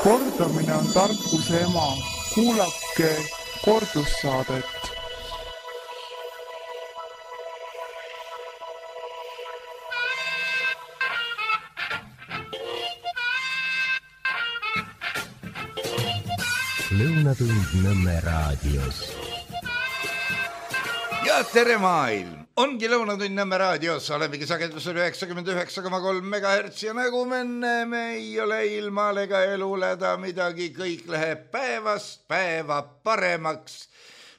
Kordamine on tarkuse ema. Kuulake kordussaadet. Lõunatund Nõmme raadios. Ja tere maailm! Ongi Lõunatund Nõmme raadios, olemegi sagedusel 99,3 MHz ja nagu me näeme, ei ole ilmal ega eluleda midagi, kõik läheb päevast päeva paremaks,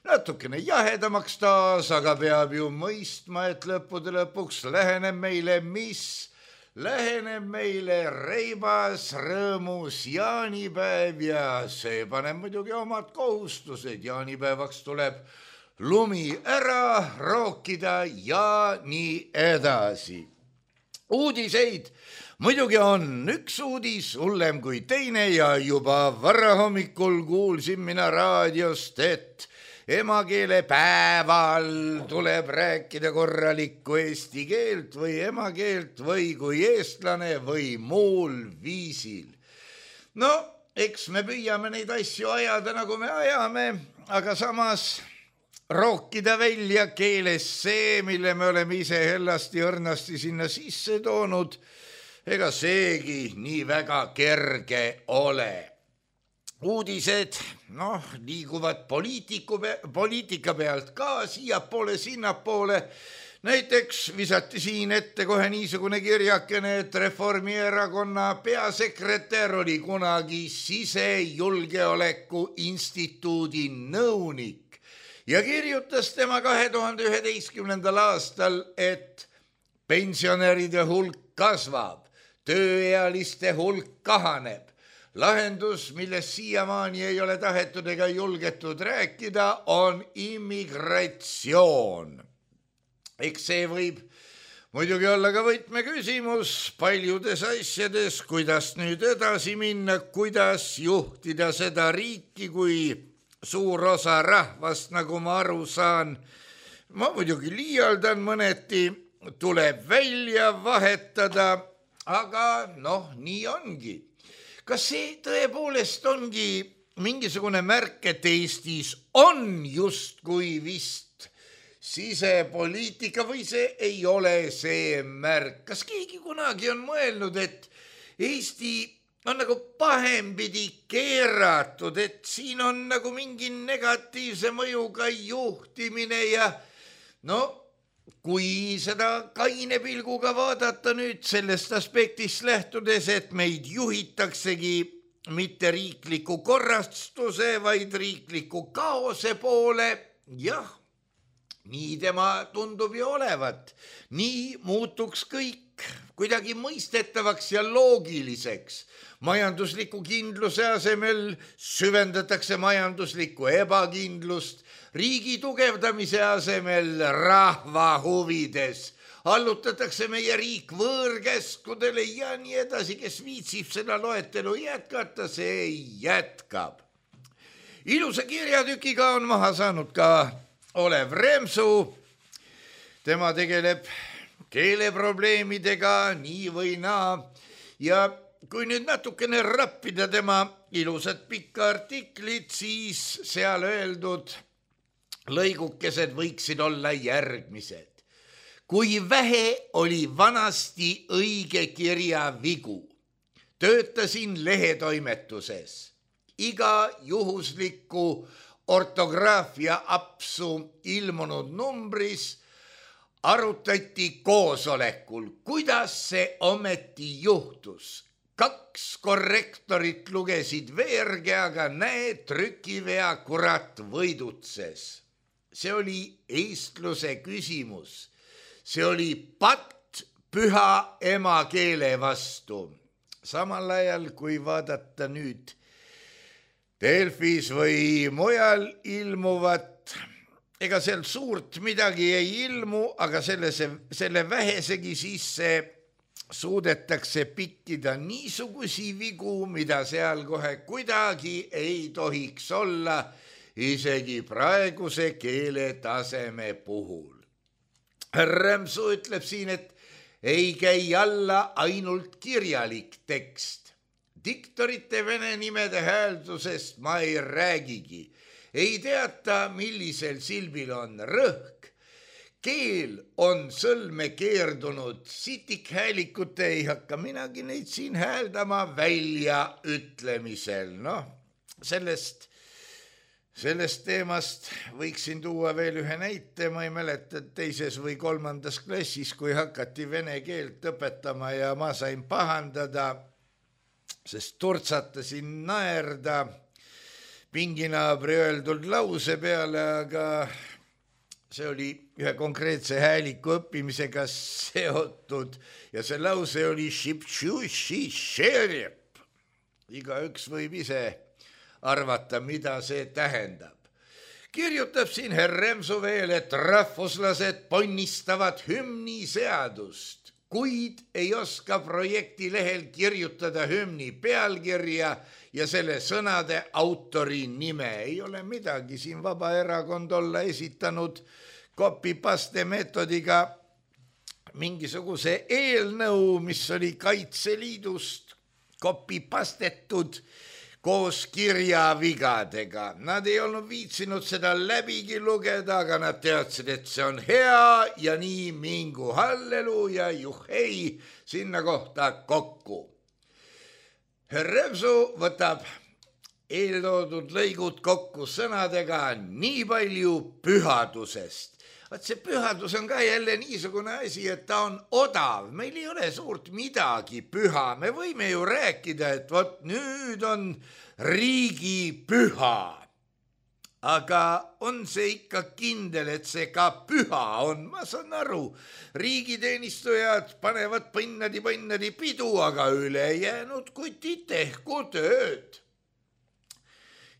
natukene jahedamaks taas, aga peab ju mõistma, et lõppude lõpuks läheneb meile mis? Läheneb meile reibas, rõõmus jaanipäev ja see paneb muidugi omad kohustused. Jaanipäevaks tuleb lumi ära rookida ja nii edasi. Uudiseid muidugi on üks uudis hullem kui teine ja juba varahommikul kuulsin mina raadiost, et emakeelepäeval tuleb rääkida korralikku eesti keelt või emakeelt või kui eestlane või muul viisil. No, eks me püüame neid asju ajada, nagu me ajame, aga samas rookida välja keeles see, mille me oleme ise hellasti õrnasti sinna sisse toonud, ega seegi nii väga kerge ole. Uudised, liiguvad poliitika pealt ka siiapoole, sinnapoole. Näiteks visati siin ette kohe niisugune kirjakene, et Reformierakonna peasekretär oli kunagi sisejulgeoleku instituudi nõunik ja kirjutas tema 2011. aastal, et pensionäride hulk kasvab, tööealiste hulk kahaneb. Lahendus, millest siiamaani ei ole tahetud ega julgetud rääkida, on immigratsioon. Eks see võib muidugi olla ka võtmeküsimus paljudes asjades, kuidas nüüd edasi minna, kuidas juhtida seda riiki, kui suur osa rahvast, nagu ma aru saan, ma muidugi liialdan mõneti, tuleb välja vahetada, aga nii ongi. Kas see tõepoolest ongi mingisugune märk, et Eestis on justkui vist sisepoliitika või see ei ole see märk? Kas keegi kunagi on mõelnud, et Eesti on nagu pahempidi keeratud, et siin on nagu mingi negatiivse mõjuga juhtimine ja kui seda kaine pilguga vaadata nüüd sellest aspektist lähtudes, et meid juhitaksegi mitte riikliku korrastuse, vaid riikliku kaose poole, jah, nii tema tundub ju olevat. Nii muutuks kõik kuidagi mõistetavaks ja loogiliseks. Majandusliku kindluse asemel süvendatakse majanduslikku ebakindlust, riigi tugevdamise asemel rahva huvides allutatakse meie riik võõrkäskudele ja nii edasi, kes viitsib seda loetelu jätkata, see jätkab. Ilusa kirjatükiga on maha saanud ka Olev Remsu. Tema tegeleb keeleprobleemidega nii või naa ja kui nüüd natukene rappida tema ilusat pikka artiklit, siis seal öeldud lõigukesed võiksid olla järgmised. Kui vähe oli vanasti õige kirja vigu, töötasin lehetoimetuses. Iga juhusliku ortograafia apsu ilmunud numbris arutati koosolekul, kuidas see ometi juhtus. 2 korrektorit lugesid veerge, aga näe, trükivea kurat võidutses. See oli eestluse küsimus. See oli patt püha emakeele vastu. Samal ajal, kui vaadata nüüd Delfis või mujal ilmuvat, ega seal suurt midagi ei ilmu, aga selle vähesegi sisse suudetakse pikkida niisugusi vigu, mida seal kohe kuidagi ei tohiks olla, isegi praeguse keeletaseme puhul. Remsu ütleb siin, et ei käi alla ainult kirjalik tekst. diktorite vene nimede hääldusest ma ei räägigi. Ei teata, millisel silbil on rõhk. Keel on sõlme keerdunud, sitikhäälikute ei hakka minagi neid siin hääldama välja ütlemisel. Sellest teemast võiksin tuua veel ühe näite, ma ei mäleta 2. või 3. klassis, kui hakati vene keelt õpetama ja ma sain pahandada, sest turtsatasin naerda pinginaabri öeldud lause peale, aga see oli ühe konkreetse hääliku õppimisega seotud ja see lause oli šipšuši-šerjep. Igaüks võib ise arvata, mida see tähendab. Kirjutab siin herr Remsu veel, et rahvuslased ponnistavad hümni seadust, kuid ei oska projekti lehel kirjutada hümni pealkirja ja selle sõnade autori nime. Ei ole midagi siin Vabaerakond olla esitanud copy-paste meetodiga mingisuguse eelnõu, mis oli Kaitseliidust copy-pastetud koos kirjavigadega. Nad ei olnud viitsinud seda läbigi lugeda, aga nad teadsid, et see on hea ja nii mingu halleluuja, juhhei, sinna kohta kokku. Herr Remsu võtab eeltoodud lõigud kokku sõnadega nii palju pühadusest. Vaat see pühadus on ka jälle niisugune asi, et ta on odav. Meil ei ole suurt midagi püha. Me võime ju rääkida, et vot nüüd on riigi püha. Aga on see ikka kindel, et see ka püha on? Ma saan aru, riigiteenistujad panevad põnnadi pidu, aga ülejäänud kutid tehku tööd.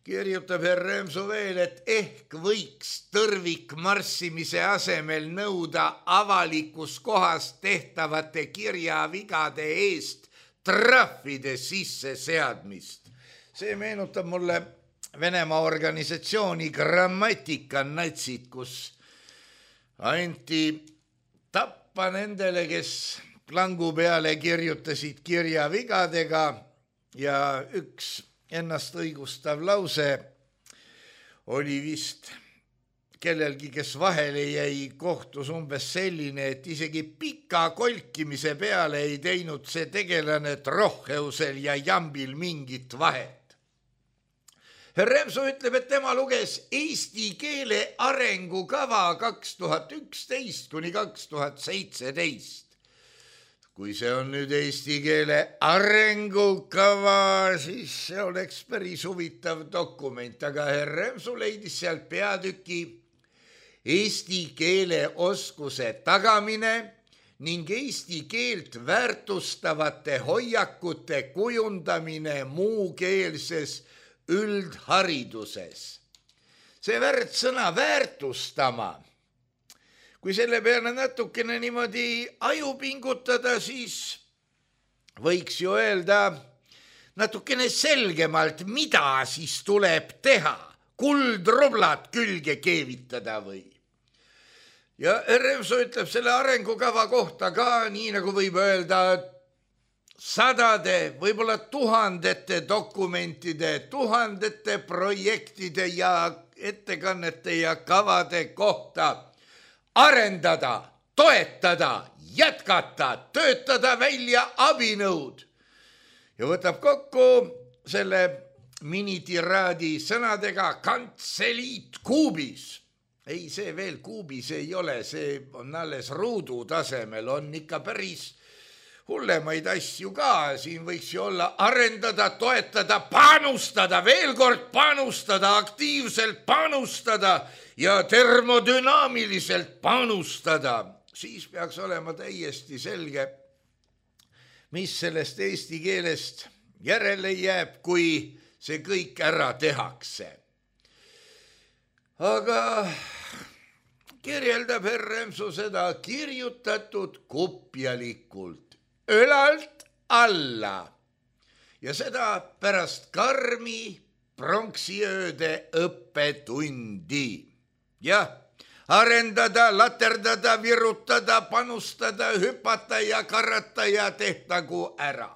Kirjutab herr Remsu veel, et ehk võiks tõrvikmarssimise asemel nõuda avalikus kohas tehtavate kirjavigade eest trahvide sisseseadmist. See meenutab mulle Venemaa organisatsiooni Grammatika natsid, kus anti tappa nendele, kes plangu peale kirjutasid kirjavigadega ja üks ennast õigustav lause oli vist kellelgi, kes vahele jäi kohtus umbes selline, et isegi pika kolkimise peale ei teinud see tegelane Trohheusel ja Jambil mingit vahet. Herr Remsu ütleb, et tema luges eesti keele arengukava 2011 kuni 2017. Kui see on nüüd eesti keele arengukava, siis see oleks päris huvitav dokument, aga herr Remsu leidis sealt peatüki eesti keele oskuse tagamine ning eesti keelt väärtustavate hoiakute kujundamine muukeelses üldhariduses. See värdsõna väärtustama, kui selle peale natukene niimoodi aju pingutada, siis võiks ju öelda natukene selgemalt, mida siis tuleb teha. Kuldrublad külge keevitada või? Ja Remsu ütleb selle arengukava kohta ka, nii nagu võib öelda, sadade, võib-olla tuhandete dokumentide, tuhandete projektide ja ettekannete ja kavade kohta arendada, toetada, jätkata, töötada välja abinõud. Ja võtab kokku selle minitiraadi sõnadega kantseliit kuubis. Ei, see veel kuubis ei ole, see on alles ruudu tasemel, on ikka päris hullemaid asju ka. Siin võiks ju olla arendada, toetada, panustada, veel kord panustada, aktiivselt panustada ja termodünaamiliselt panustada. Siis peaks olema täiesti selge, mis sellest eesti keelest järele jääb, kui see kõik ära tehakse. Aga kirjeldab herr Remsu seda kirjutatud kupjalikult, ülalt alla ja seda pärast karmi pronksiööde õppetundi. Jah, arendada, laterdada, virutada, panustada, hüpata ja karata ja tehtagu ära.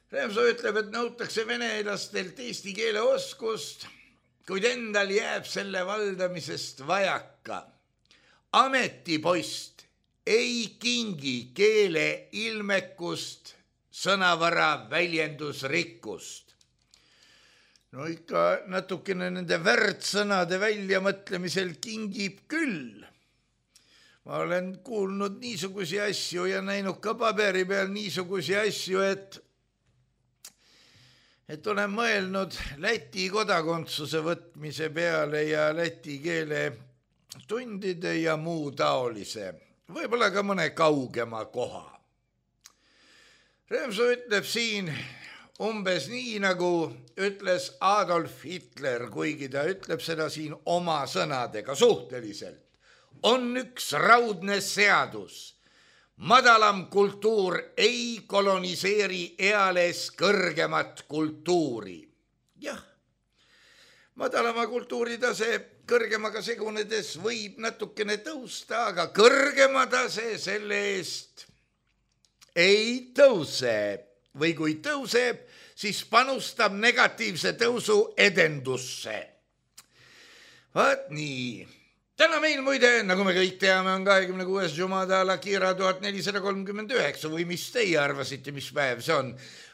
Remsoo ütleb, et nõutakse venelastelt eesti keele oskust, kuid endal jääb selle valdamisest vajaka. Ametipost ei kingi keele ilmekust, sõnavara väljendusrikkust. No ikka natukene nende väärtsõnade väljamõtlemisel kingib küll. Ma olen kuulnud niisugusi asju ja näinud ka paberi peal niisugusi asju, et olen mõelnud Läti kodakondsuse võtmise peale ja läti keele tundide ja muu taolise, võib-olla ka mõne kaugema koha. Remsoo ütleb siin umbes nii, nagu ütles Adolf Hitler, kuigi ta ütleb seda siin oma sõnadega suhteliselt. On üks raudne seadus. Madalam kultuur ei koloniseeri eales kõrgemat kultuuri. Jah, madalama kultuuritase kõrgemaga segunedes võib natukene tõusta, aga kõrgema tase selle eest ei tõuse. Või kui tõuseb, siis panustab negatiivse tõusu edendusse. Vaat nii. Täna meil muide, nagu me kõik teame, on 26. Jumada Kira 1439 või mis teie arvasite, mis päev see on?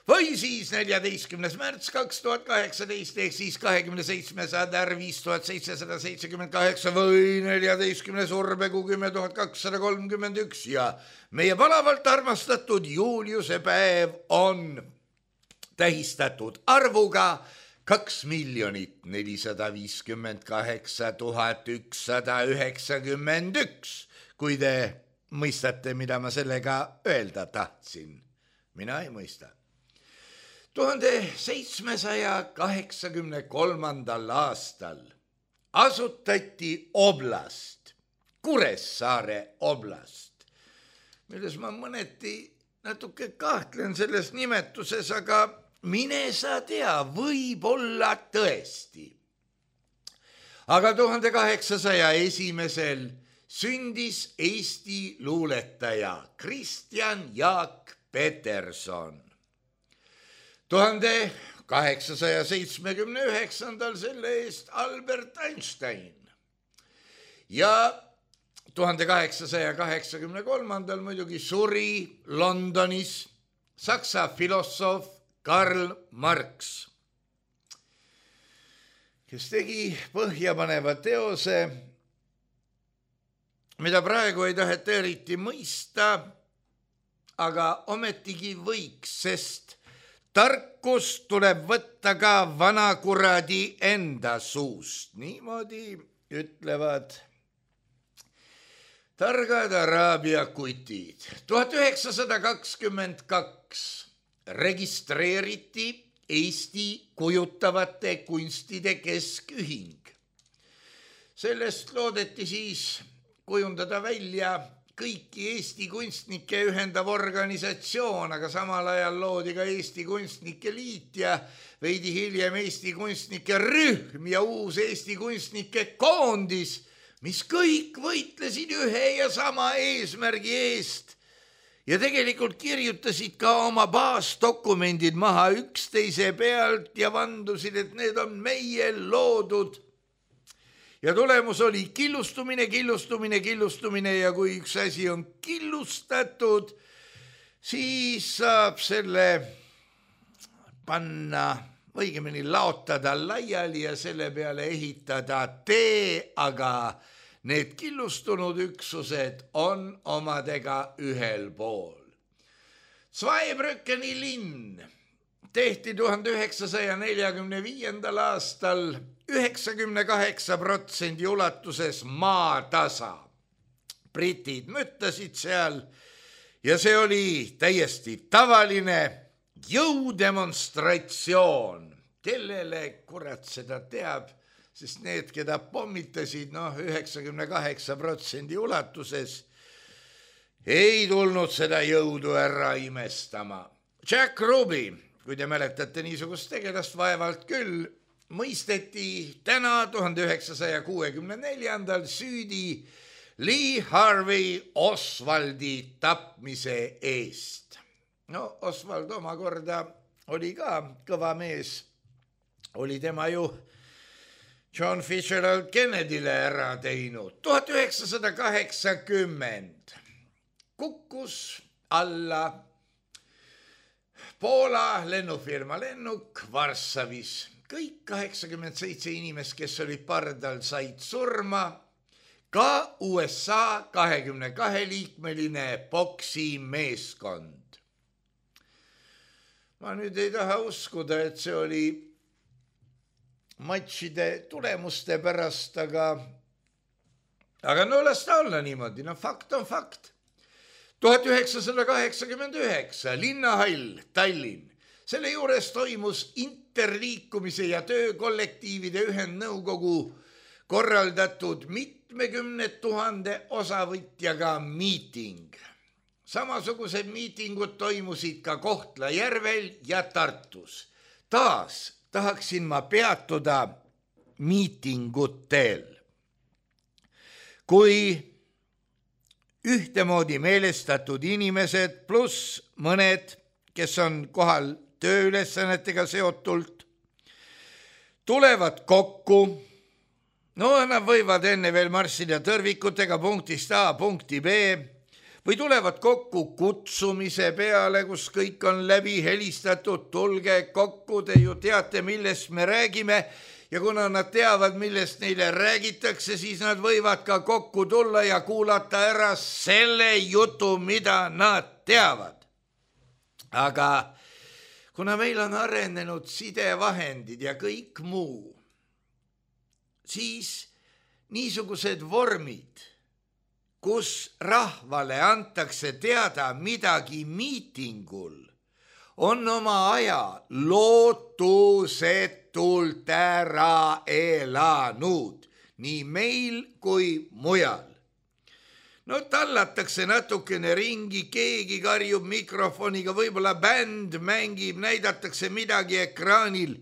Või siis 14. märts 2018 ehk siis 27. sadar 5778 või 14. urbekuu 10231 ja meie palavalt armastatud Juliuse päev on tähistatud arvuga 2 458 191, kui te mõistate, mida ma sellega öelda tahtsin. Mina ei mõista. 1783. aastal asutati oblast, Kuressaare oblast, milles ma mõneti natuke kahtlen selles nimetuses, aga mine sa tea, võib-olla tõesti. Aga 1801. sündis Eesti luuletaja Kristjan Jaak Peterson. 1879. selle eest Albert Einstein ja 1883. muidugi suri Londonis Saksa filosoof Karl Marx, kes tegi põhjapaneva teose, mida praegu ei taheta eriti mõista, aga ometigi võiks, sest tarkust tuleb võtta ka vanakuradi enda suust. Niimoodi ütlevad targad araabia kutid. 1922 registreeriti Eesti kujutavate kunstide keskühing. Sellest loodeti siis kujundada välja kõiki Eesti kunstnikke ühendav organisatsioon, aga samal ajal loodi ka Eesti kunstnike liit ja veidi hiljem Eesti kunstnike rühm ja uus Eesti kunstnike koondis, mis kõik võitlesid ühe ja sama eesmärgi eest ja tegelikult kirjutasid ka oma baasdokumendid maha üksteise pealt ja vandusid, et need on meie loodud. Ja tulemus oli killustumine ja kui üks asi on killustatud, siis saab selle panna, õigemini laotada laiali ja selle peale ehitada tee, aga need killustunud üksused on omadega ühel pool. Zweibrückeni linn tehti 1945. aastal 98% ulatuses maatasa. Britid müttasid seal ja see oli täiesti tavaline jõudemonstratsioon. Kellele kurat seda teab? Sest need, keda pommitasid 98% ulatuses, ei tulnud seda jõudu ära imestama. Jack Ruby, kui te mäletate niisugust tegelast, vaevalt küll, mõisteti täna 1964. süüdi Lee Harvey Oswaldi tapmise eest. Oswald omakorda oli ka kõva mees, oli tema ju John Fitzgerald Kennedyle ära teinud. 1980 kukkus alla Poola lennufirma lennuk Varssavis. Kõik 87 inimest, kes olid pardal, said surma. Ka USA 22-liikmeline poksimeeskond. Ma nüüd ei taha uskuda, et see oli matšide tulemuste pärast, aga no las ta olla niimoodi, no fakt on fakt. 1989 Linnahall, Tallinn. Selle juures toimus interliikumise ja töökollektiivide ühendnõukogu korraldatud mitmekümne tuhande osavõtjaga miiting. Samasugused miitingud toimusid ka Kohtla-Järvel ja Tartus. Taas tahaksin ma peatuda miitingutel. Kui ühtemoodi meelestatud inimesed pluss mõned, kes on kohal tööülesannetega seotult, tulevad kokku. No nad võivad enne veel marssida tõrvikutega punktist A punkti B või tulevad kokku kutsumise peale, kus kõik on läbi helistatud, tulge kokku, te ju teate, millest me räägime ja kuna nad teavad, millest neile räägitakse, siis nad võivad ka kokku tulla ja kuulata ära selle jutu, mida nad teavad. Aga kuna meil on arenenud sidevahendid ja kõik muu, siis niisugused vormid, kus rahvale antakse teada midagi miitingul, on oma aja lootusetult ära elanud, nii meil kui mujal. No tallatakse natukene ringi, keegi karjub mikrofoniga, võib-olla bänd mängib, näidatakse midagi ekraanil,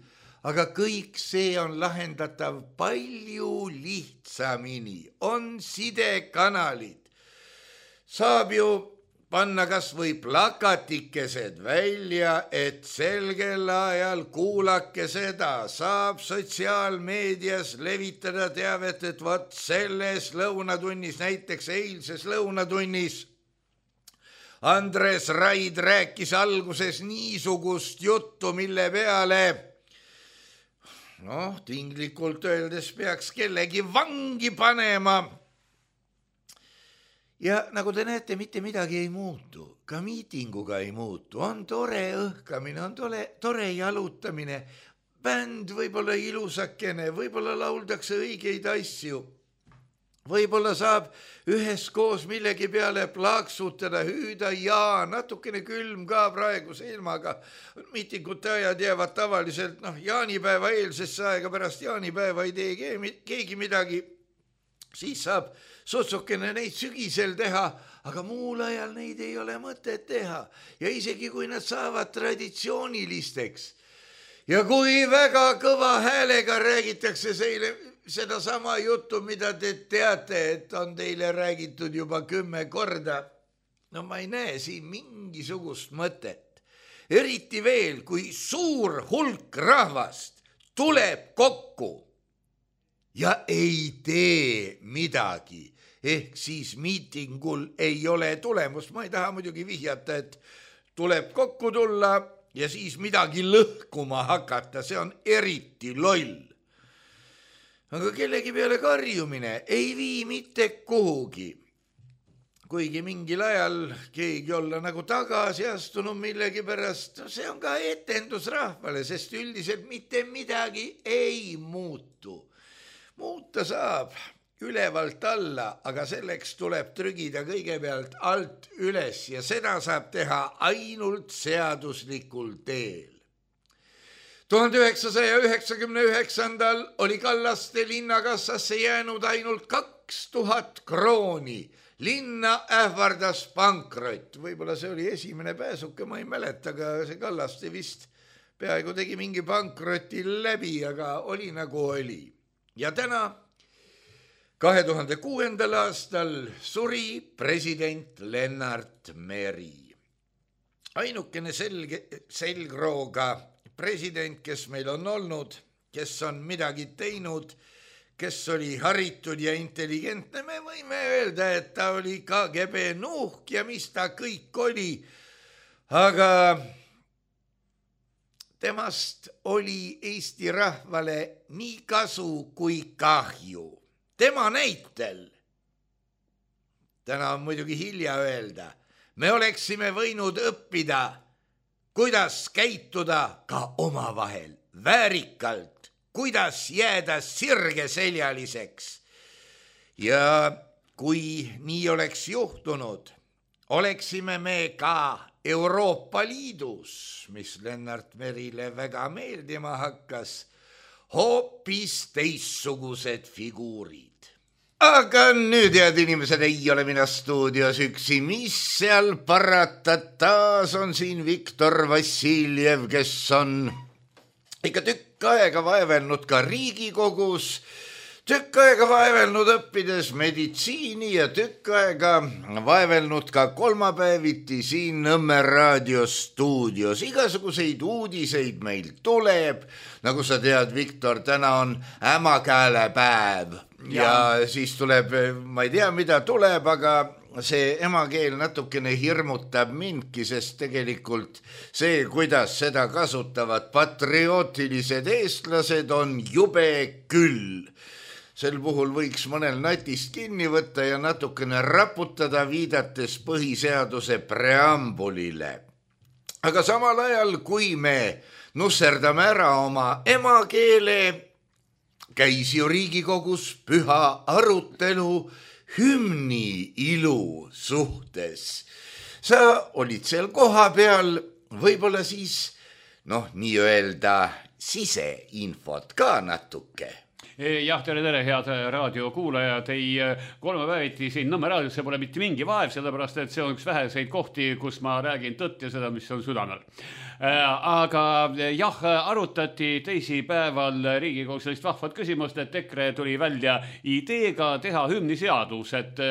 aga kõik see on lahendatav palju lihtsamini. On sidekanalid. Saab ju panna kas või plakatikesed välja, et selgel ajal kuulake seda. Saab sotsiaalmeedias levitada teavet, et võt selles lõunatunnis, näiteks eilses lõunatunnis, Andres Raid rääkis alguses niisugust juttu, mille peale tinglikult öeldes peaks kellegi vangi panema. Ja nagu te näete, mitte midagi ei muutu, ka miitinguga ei muutu. On tore õhkamine, on tore jalutamine, bänd võib-olla ilusakene, võib-olla lauldakse õigeid asju. Võib-olla saab üheskoos millegi peale plaaksutada, hüüda ja natukene külm ka praeguse ilmaga. Miitingute ajad jäävad tavaliselt, jaanipäeva eelsesse aega, pärast jaanipäeva ei tee keegi midagi. Siis saab sutsukene neid sügisel teha, aga muul ajal neid ei ole mõtet teha. Ja isegi kui nad saavad traditsioonilisteks ja kui väga kõva häälega räägitakse seda sama juttu, mida te teate, et on teile räägitud juba 10 korda. No ma ei näe siin mingisugust mõtet. Eriti veel, kui suur hulk rahvast tuleb kokku ja ei tee midagi. Ehk siis miitingul ei ole tulemust. Ma ei taha muidugi vihjata, et tuleb kokku tulla ja siis midagi lõhkuma hakata. See on eriti loll. Aga kellegi peale karjumine ei vii mitte kuhugi. Kuigi mingil ajal keegi olla nagu tagasi astunud millegi pärast, see on ka etendus rahvale, sest üldiselt mitte midagi ei muutu. Muuta saab ülevalt alla, aga selleks tuleb trügida kõigepealt alt üles ja seda saab teha ainult seaduslikul teel. 1999. oli Kallaste linnakassasse jäänud ainult 2000 krooni. Linna ähvardas pankrott. Võib-olla see oli esimene pääsuke, ma ei mäleta, aga see Kallaste vist peaaegu tegi mingi pankroti läbi, aga oli nagu oli. Ja täna, 2006. aastal suri president Lennart Meri. ainukene selgrooga president, kes meil on olnud, kes on midagi teinud, kes oli haritud ja intelligentne, me võime öelda, et ta oli KGB nuhk ja mis ta kõik oli, aga temast oli Eesti rahvale nii kasu kui kahju. Tema näitel, täna on muidugi hilja öelda, me oleksime võinud õppida, kuidas käituda ka omavahel väärikalt, kuidas jääda sirgeseljaliseks. Ja kui nii oleks juhtunud, oleksime me ka Euroopa Liidus, mis Lennart Merile väga meeldima hakkas, hoopis teistsugused figuurid. Aga nüüd, head inimesed, ei ole mina stuudios üksi, mis seal parata, taas on siin Viktor Vassiljev, kes on ikka tükk aega vaevelnud ka Riigikogus, tükk aega vaevelnud õppides meditsiini ja tükk aega vaevelnud ka kolmapäeviti siin Nõmme raadiostuudios. Igasuguseid uudiseid meil tuleb, nagu sa tead, Viktor, täna on ämakäälepäev ja siis tuleb, ma ei tea, mida tuleb, aga see emakeel natukene hirmutab mindki, sest tegelikult see, kuidas seda kasutavad patriotilised eestlased, on jube küll. Sel puhul võiks mõnel natist kinni võtta ja natukene raputada, viidates põhiseaduse preambulile. Aga samal ajal, kui me nusserdame ära oma emakeele, käis ju Riigikogus püha arutelu hümni ilu suhtes. Sa olid seal koha peal, võib-olla siis, nii-öelda siseinfot ka natuke. Jah, tere, head raadiokuulajad. Ei, kolmapäeviti siin Nõmme raadios, see pole mitte mingi vaev, sellepärast, et see on üks väheseid kohti, kus ma räägin tõtt ja seda, mis on südamel. Aga jah, arutati teisipäeval Riigikogus sellist vahvat küsimust, et EKRE tuli välja ideega teha hümniseadus, et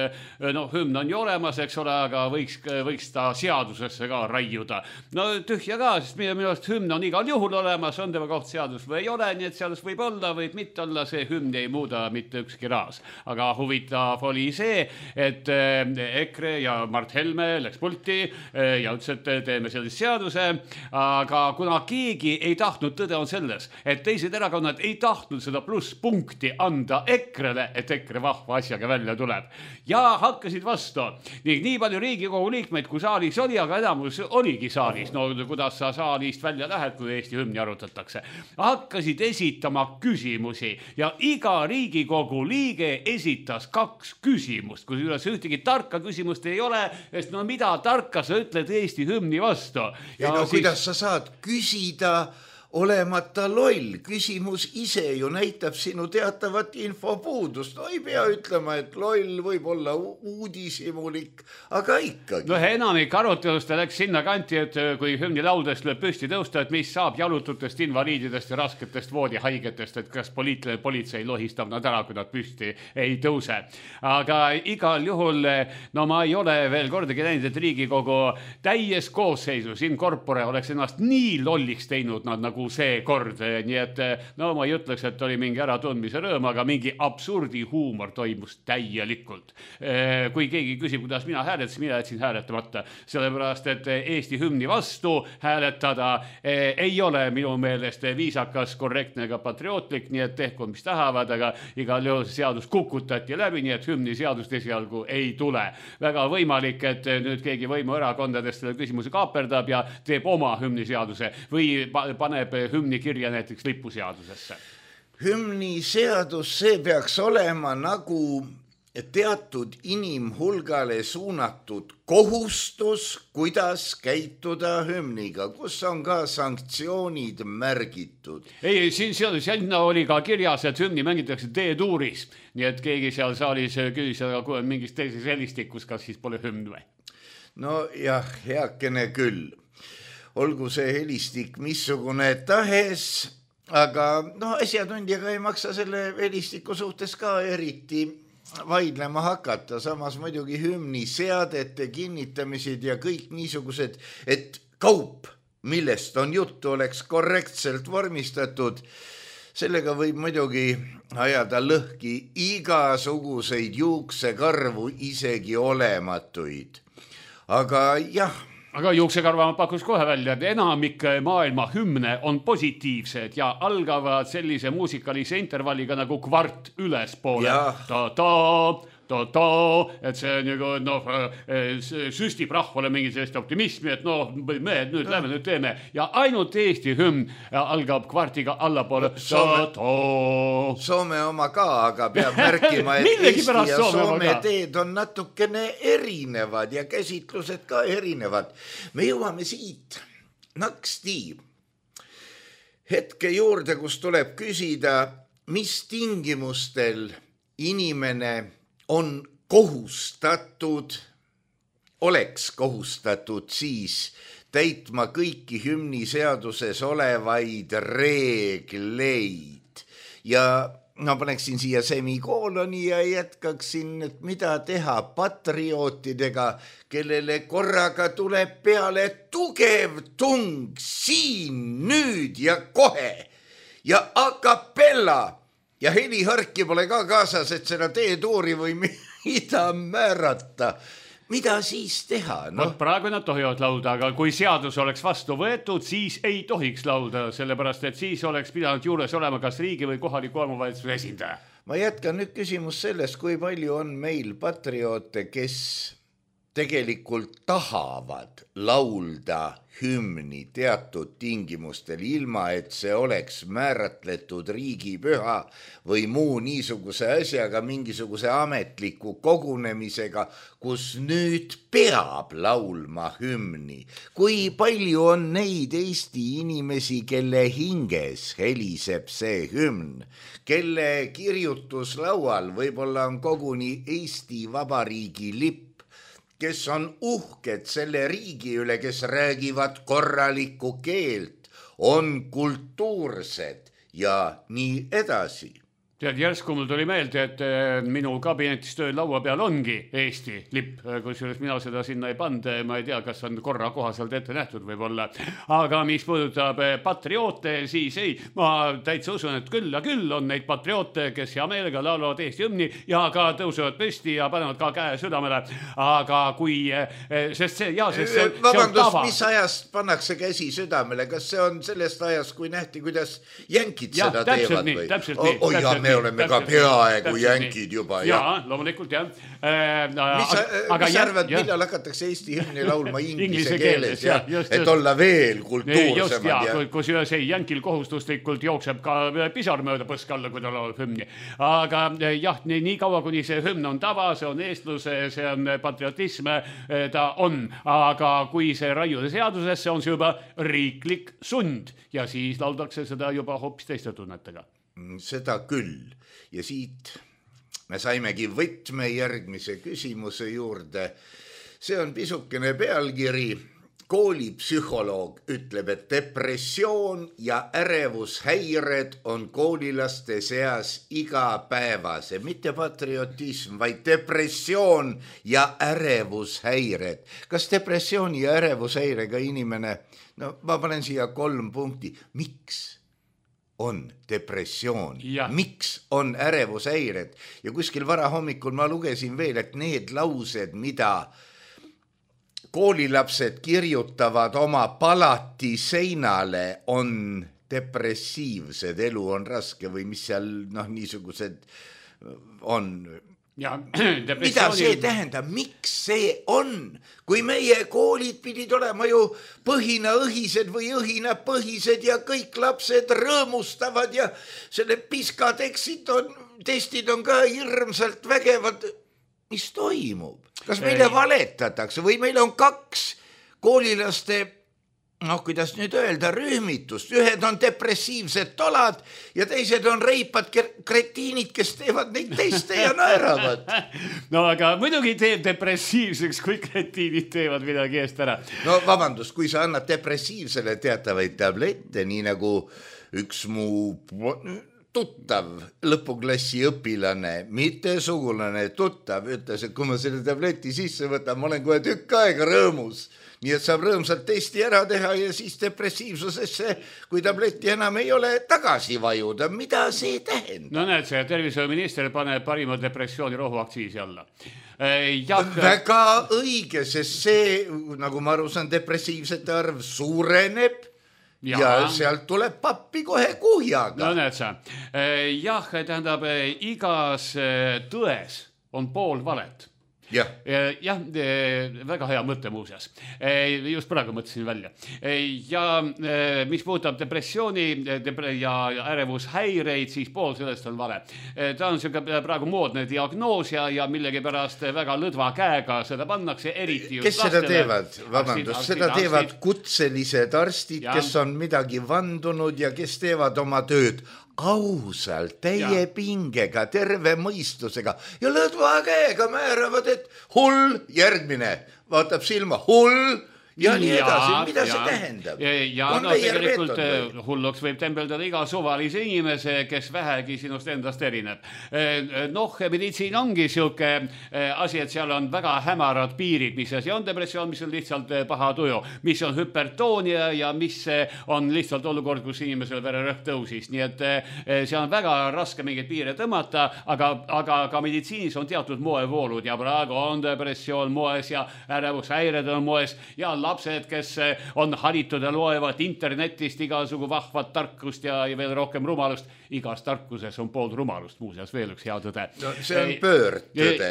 hümn on ju olemas, eks ole, aga võiks ta seadusesse ka raiuda. No tühja ka, sest minu arust hümn on igal juhul olemas, on tema koht seadus või ei ole, nii et seadus võib olla, võib mitte olla, see hümn ei muuda mitte ükski raas. Aga huvitav oli see, et EKRE ja Mart Helme läks pulti ja ütles, et teeme sellise seaduse, aga kuna keegi ei tahtnud, tõde on selles, et teised erakonnad ei tahtnud seda plusspunkti anda EKRE-le, et EKRE vahva asjaga välja tuleb. Ja hakkasid vastu. Nii palju Riigikogu liikmeid, kui saalis oli, aga enamus oligi saalis. No kuidas sa saalist välja lähed, kui Eesti hümni arutatakse. Hakkasid esitama küsimusi ja iga Riigikogu liige esitas 2 küsimust, kus üles ühtegi tarka küsimust ei ole, sest mida tarka sa ütled Eesti hümni vastu. Ja kuidas sa saad küsida olemata loll? Küsimus ise ju näitab sinu teatavat infopuudust. No ei pea ütlema, et loll võib olla uudishimulik, aga ikkagi. Enamik arutelust läks sinna kanti, et kui hümni laudest lööb püsti tõusta, et mis saab jalututest, invaliididest ja rasketest voodihaigetest, et kas politsei lohistab nad ära, kui nad püsti ei tõuse. Aga igal juhul, ma ei ole veel kordagi näinud, et Riigikogu täies koosseisus in corpore oleks ennast nii lolliks teinud nad nagu see kord, nii et ma ei ütleks, et oli mingi äratundmise rõõm, aga mingi absurdi huumor toimus täielikult. Kui keegi küsib, kuidas mina hääletasin, mina jätsin hääletamata, sellepärast, et Eesti hümni vastu hääletada ei ole minu meelest viisakas, korrektne ega patriootlik, nii et tehku mis tahavad, aga igal juhul seadus kukutati läbi, nii et hümni seadust esialgu ei tule. Väga võimalik, et nüüd keegi võimuerakondadest selle küsimuse kaaperdab ja teeb oma hümniseaduse või paneb hümni kirja näiteks lipuseadusesse. Hümniseadus, see peaks olema nagu teatud inimhulgale suunatud kohustus, kuidas käituda hümniga, kus on ka sanktsioonid märgitud. Ei, sinna oli ka kirjas, et hümni mängitakse D-tuuris, nii et keegi seal saalis küsis mingis teises helistikus, kas siis pole hümn või? No jah, heakene küll. Olgu see helistik missugune tahes, aga asjatundjaga ei maksa selle helistiku suhtes ka eriti vaidlema hakata. Samas muidugi hümni seadete kinnitamised ja kõik niisugused, et kaup, millest on juttu, oleks korrektselt vormistatud, sellega võib muidugi ajada lõhki igasuguseid juuksekarvu, isegi olematuid. Aga jah. Aga juuksekarva ma pakus kohe välja, et enamik maailma hümne on positiivsed ja algavad sellise muusikalise intervalliga nagu kvart ülespoole. Et see on nagu, süstib rahvale mingi sellist optimismi, et me nüüd lähme, nüüd teeme. Ja ainult Eesti hümn algab kvartiga allapoole. Soome oma ka, aga peab märkima, et Eesti ja Soome teed on natukene erinevad ja käsitlused ka erinevad. Me jõuame siit naksti hetke juurde, kus tuleb küsida, mis tingimustel inimene on kohustatud, oleks kohustatud siis täitma kõiki hümniseaduses olevaid reegleid. Ja ma paneksin siia semikooloni ja jätkaksin, et mida teha patriootidega, kellele korraga tuleb peale tugev tung siin, nüüd ja kohe ja a cappella. Ja heliharki pole ka kaasas, et seda teetuuri või mida määrata. Mida siis teha? Praegu nad tohivad laulda, aga kui seadus oleks vastu võetud, siis ei tohiks laulda, sellepärast, et siis oleks pidanud juures olema kas riigi või kohaliku omavalitsuse esindaja. Ma jätkan nüüd küsimus sellest, kui palju on meil patrioote, kes tegelikult tahavad laulda hümni teatud tingimustel, ilma et see oleks määratletud riigipüha või muu niisuguse asjaga, mingisuguse ametliku kogunemisega, kus nüüd peab laulma hümni. Kui palju on neid Eesti inimesi, kelle hinges heliseb see hümn, kelle kirjutuslaual võib-olla on koguni Eesti Vabariigi lipp, kes on uhked selle riigi üle, kes räägivad korralikku keelt, on kultuursed ja nii edasi. Tead, järsku mul tuli meelde, et minu kabinetis töö laua peal ongi Eesti lipp, kusjuures mina seda sinna ei pand, ma ei tea, kas on korra kohaselt ette nähtud võib-olla. Aga mis puudutab patrioote, siis ei, ma täitsa usun, et küll ja küll on neid patrioote, kes hea meelega laulavad Eesti hümni ja ka tõusevad püsti ja panevad ka käe südamele. Aga kui, sest see on tava. Mis ajast pannakse käsi südamele? Kas see on sellest ajast, kui nähti, kuidas jänkid seda teevad? Nii, täpselt nii. Me oleme ka peaaegu jänkid juba. Jaa, loomulikult jah. Mis arvad, millal hakatakse Eesti hümni laulma inglise keeles, et olla veel kultuursemad? Kus ühes jänkil kohustuslikult jookseb ka pisar mööda põskalla, kui ta laulab hümni. Aga jah, nii kaua, kuni see hümn on tava, see on eestluse, see on patriotism, ta on. Aga kui see raiuda seadusesse, on see juba riiklik sund ja siis lauldakse seda juba hoopis teiste tunnetega. Seda küll. Ja siit me saimegi võtme järgmise küsimuse juurde. See on pisukene pealkiri. Koolipsühholoog ütleb, et depressioon ja ärevushäired on koolilaste seas igapäevase. Mitte patriotism, vaid depressioon ja ärevushäired. Kas depressiooni ja ärevushäirega inimene, ma panen siia 3 punkti. Miks on depressioon? Miks on ärevushäired? Ja kuskil varahommikul ma lugesin veel, et need laused, mida koolilapsed kirjutavad oma palati seinale, on depressiivsed, elu on raske või mis seal niisugused on. Ja, mida see tähendab, miks see on? Kui meie koolid pidid olema ju põhinaõhised või õhinapõhised ja kõik lapsed rõõmustavad ja selle piskatestid on ka hirmsalt vägevad. Mis toimub? Kas meile valetatakse või meil on 2 koolilaste, kuidas nüüd öelda, rühmitust. Ühed on depressiivsed tolad ja teised on reipad kretiinid, kes teevad neid teiste ja naeravad. No aga muidugi teeb depressiivseks, kui kretiinid teevad midagi eest ära. No vabandust, kui sa annad depressiivsele teatavaid tablette, nii nagu üks mu tuttav lõpuklassi õpilane, mitte sugulane, tuttav, ütles, et kui ma selle tableti sisse võtan, ma olen kohe tükk aega rõõmus. nii et saab rõõmsalt testi ära teha ja siis depressiivsusesse, kui tabletti enam ei ole, tagasi vajuda. Mida see tähendab? No näed, see tervishoiuminister paneb parima depressiooni rohuaktsiisi alla. Väga õige, sest see, nagu ma aru saan, depressiivsete arv suureneb. Ja sealt tuleb pappi kohe kuhjaga. No näed sa. Jah, tähendab, igas tões on pool valet. Jah, väga hea mõte muuseas. Just praegu mõtlesin välja. Ja mis puudutab depressiooni ja ärevushäireid, siis pool sellest on vale. Ta on praegu moodne diagnoos ja millegipärast väga lõdva käega seda pannakse, eriti just kes seda teevad? Vabandust, seda teevad kutselised arstid, kes on midagi vandunud ja kes teevad oma tööd ausalt, täie pingega, terve mõistusega ja lõdva käega määravad, et hull, järgmine, vaatab silma, hull ja nii edasi, mida see tähendab? Ja no tegelikult hulluks võib tembeldada iga suvalise inimese, kes vähegi sinust endast erineb. Noh, meditsiin ongi siuke asi, et seal on väga hämarad piirid, mis asi on depressioon, mis on lihtsalt paha tuju, mis on hüpertoonia ja mis on lihtsalt olukord, kus inimesel vererõhk tõusis. Nii et see on väga raske mingeid piire tõmmata, aga ka meditsiinis on teatud moevoolud ja praegu on depressioon moes ja ärevushäired on moes ja lapsed, kes on haritud ja loevad internetist igasugu vahvat tarkust ja veel rohkem rumalust. Igas tarkuses on pool rumalust, muuseas veel üks hea tõde. No, see on pöördtõde.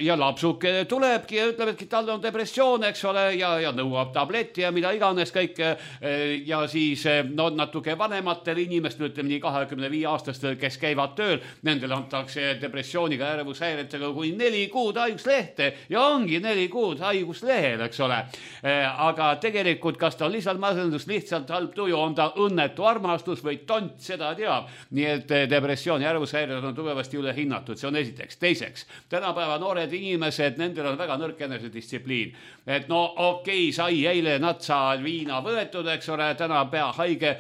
Ja lapsuke tulebki ja ütleb, et tal on depressioon, eks ole, ja nõuab tabletti ja mida iganes kõik. Ja siis natuke vanematel inimestel, ütleme nii 25-aastastel, kes käivad tööl, nendel antakse depressiooniga ärevushäiretega kui 4 kuud haiguslehte ja ongi 4 kuud haiguslehel, eks ole. Aga tegelikult, kas ta on lihtsalt masendus, lihtsalt halb tuju, on ta õnnetu armastus või tont, seda teab. Nii et depressioon ja ärevushäired on tugevasti üle hinnatud, see on esiteks. Teiseks, tänapäeva noored inimesed, nendel on väga nõrk enesedistsipliin. Et no okei, sai eile natsa viina võetud, eks ole, täna pea haige,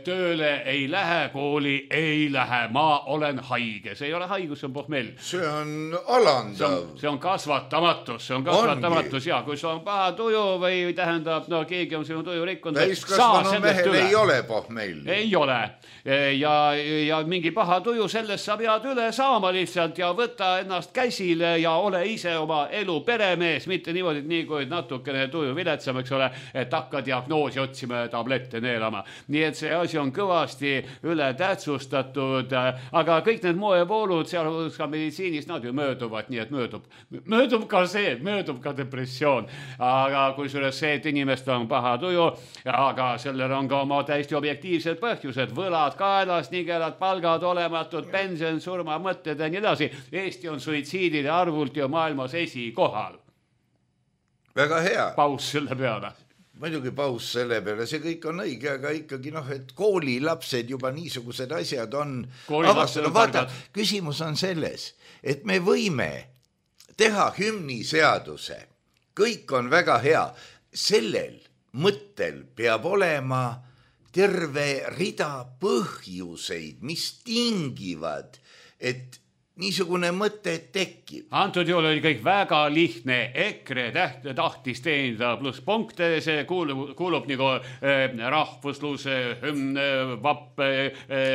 tööle ei lähe, kooli ei lähe, ma olen haige. See ei ole haigus, see on pohmell. See on alandav. See on kasvatamatus, ja kui sul on paha tuju või tähendab, no keegi on sinu tuju rikkunud. Täiskasvanu mehel ei ole pohmell. Ei ole. Ja mingi paha tuju, sellest sa pead üle saama lihtsalt ja võtta ennast käsile ja ole ise oma elu peremees, mitte niimoodi, nii kui natukene tuju viletsam, eks ole, et hakka diagnoosi otsima ja tablette neelama. Nii et see asi on kõvasti üle tähtsustatud, aga kõik need moevoolud, seal ka meditsiinis, nad ju mööduvad, nii et möödub ka see, möödub ka depressioon. Aga kui suures see, et inimest on paha tuju, aga sellel on ka oma täiesti objektiivsed põhjused, võlad kaelas, nigelad palgad olematud, pension, surma, mõtted ja nii edasi. Eesti on suitsiidide arvult ju maailmas esikohal. Väga hea. Paus selle peale. Muidugi paus selle peale, see kõik on õige, aga ikkagi et koolilapsed juba niisugused asjad on avastanud. Vaata, küsimus on selles, et me võime teha hümniseaduse. Kõik on väga hea. Sellel mõttel peab olema terve rida põhjuseid, mis tingivad, et niisugune mõte tekib. Antud juhul oli kõik väga lihtne. EKRE tahtis teenida pluss punkte, see kuulub nagu rahvuslus, vapp,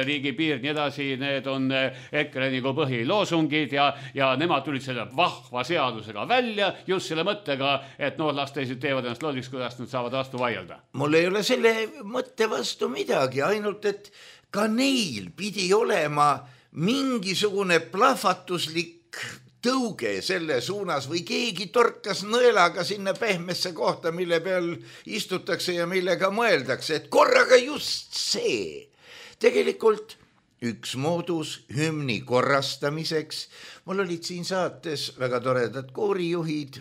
riigipiir, nii edasi. Need on EKRE nagu põhiloosungid ja nemad tulid selle vahva seadusega välja just selle mõttega, et las teised teevad ennast lolliks, kuidas nad saavad vastu vaielda. Mul ei ole selle mõtte vastu midagi, ainult et ka neil pidi olema mingisugune plahvatuslik tõuge selle suunas või keegi torkas nõelaga sinna pehmesse kohta, mille peal istutakse ja millega mõeldakse, et korraga just see. Tegelikult üks moodus hümni korrastamiseks, mul olid siin saates väga toredad koorijuhid,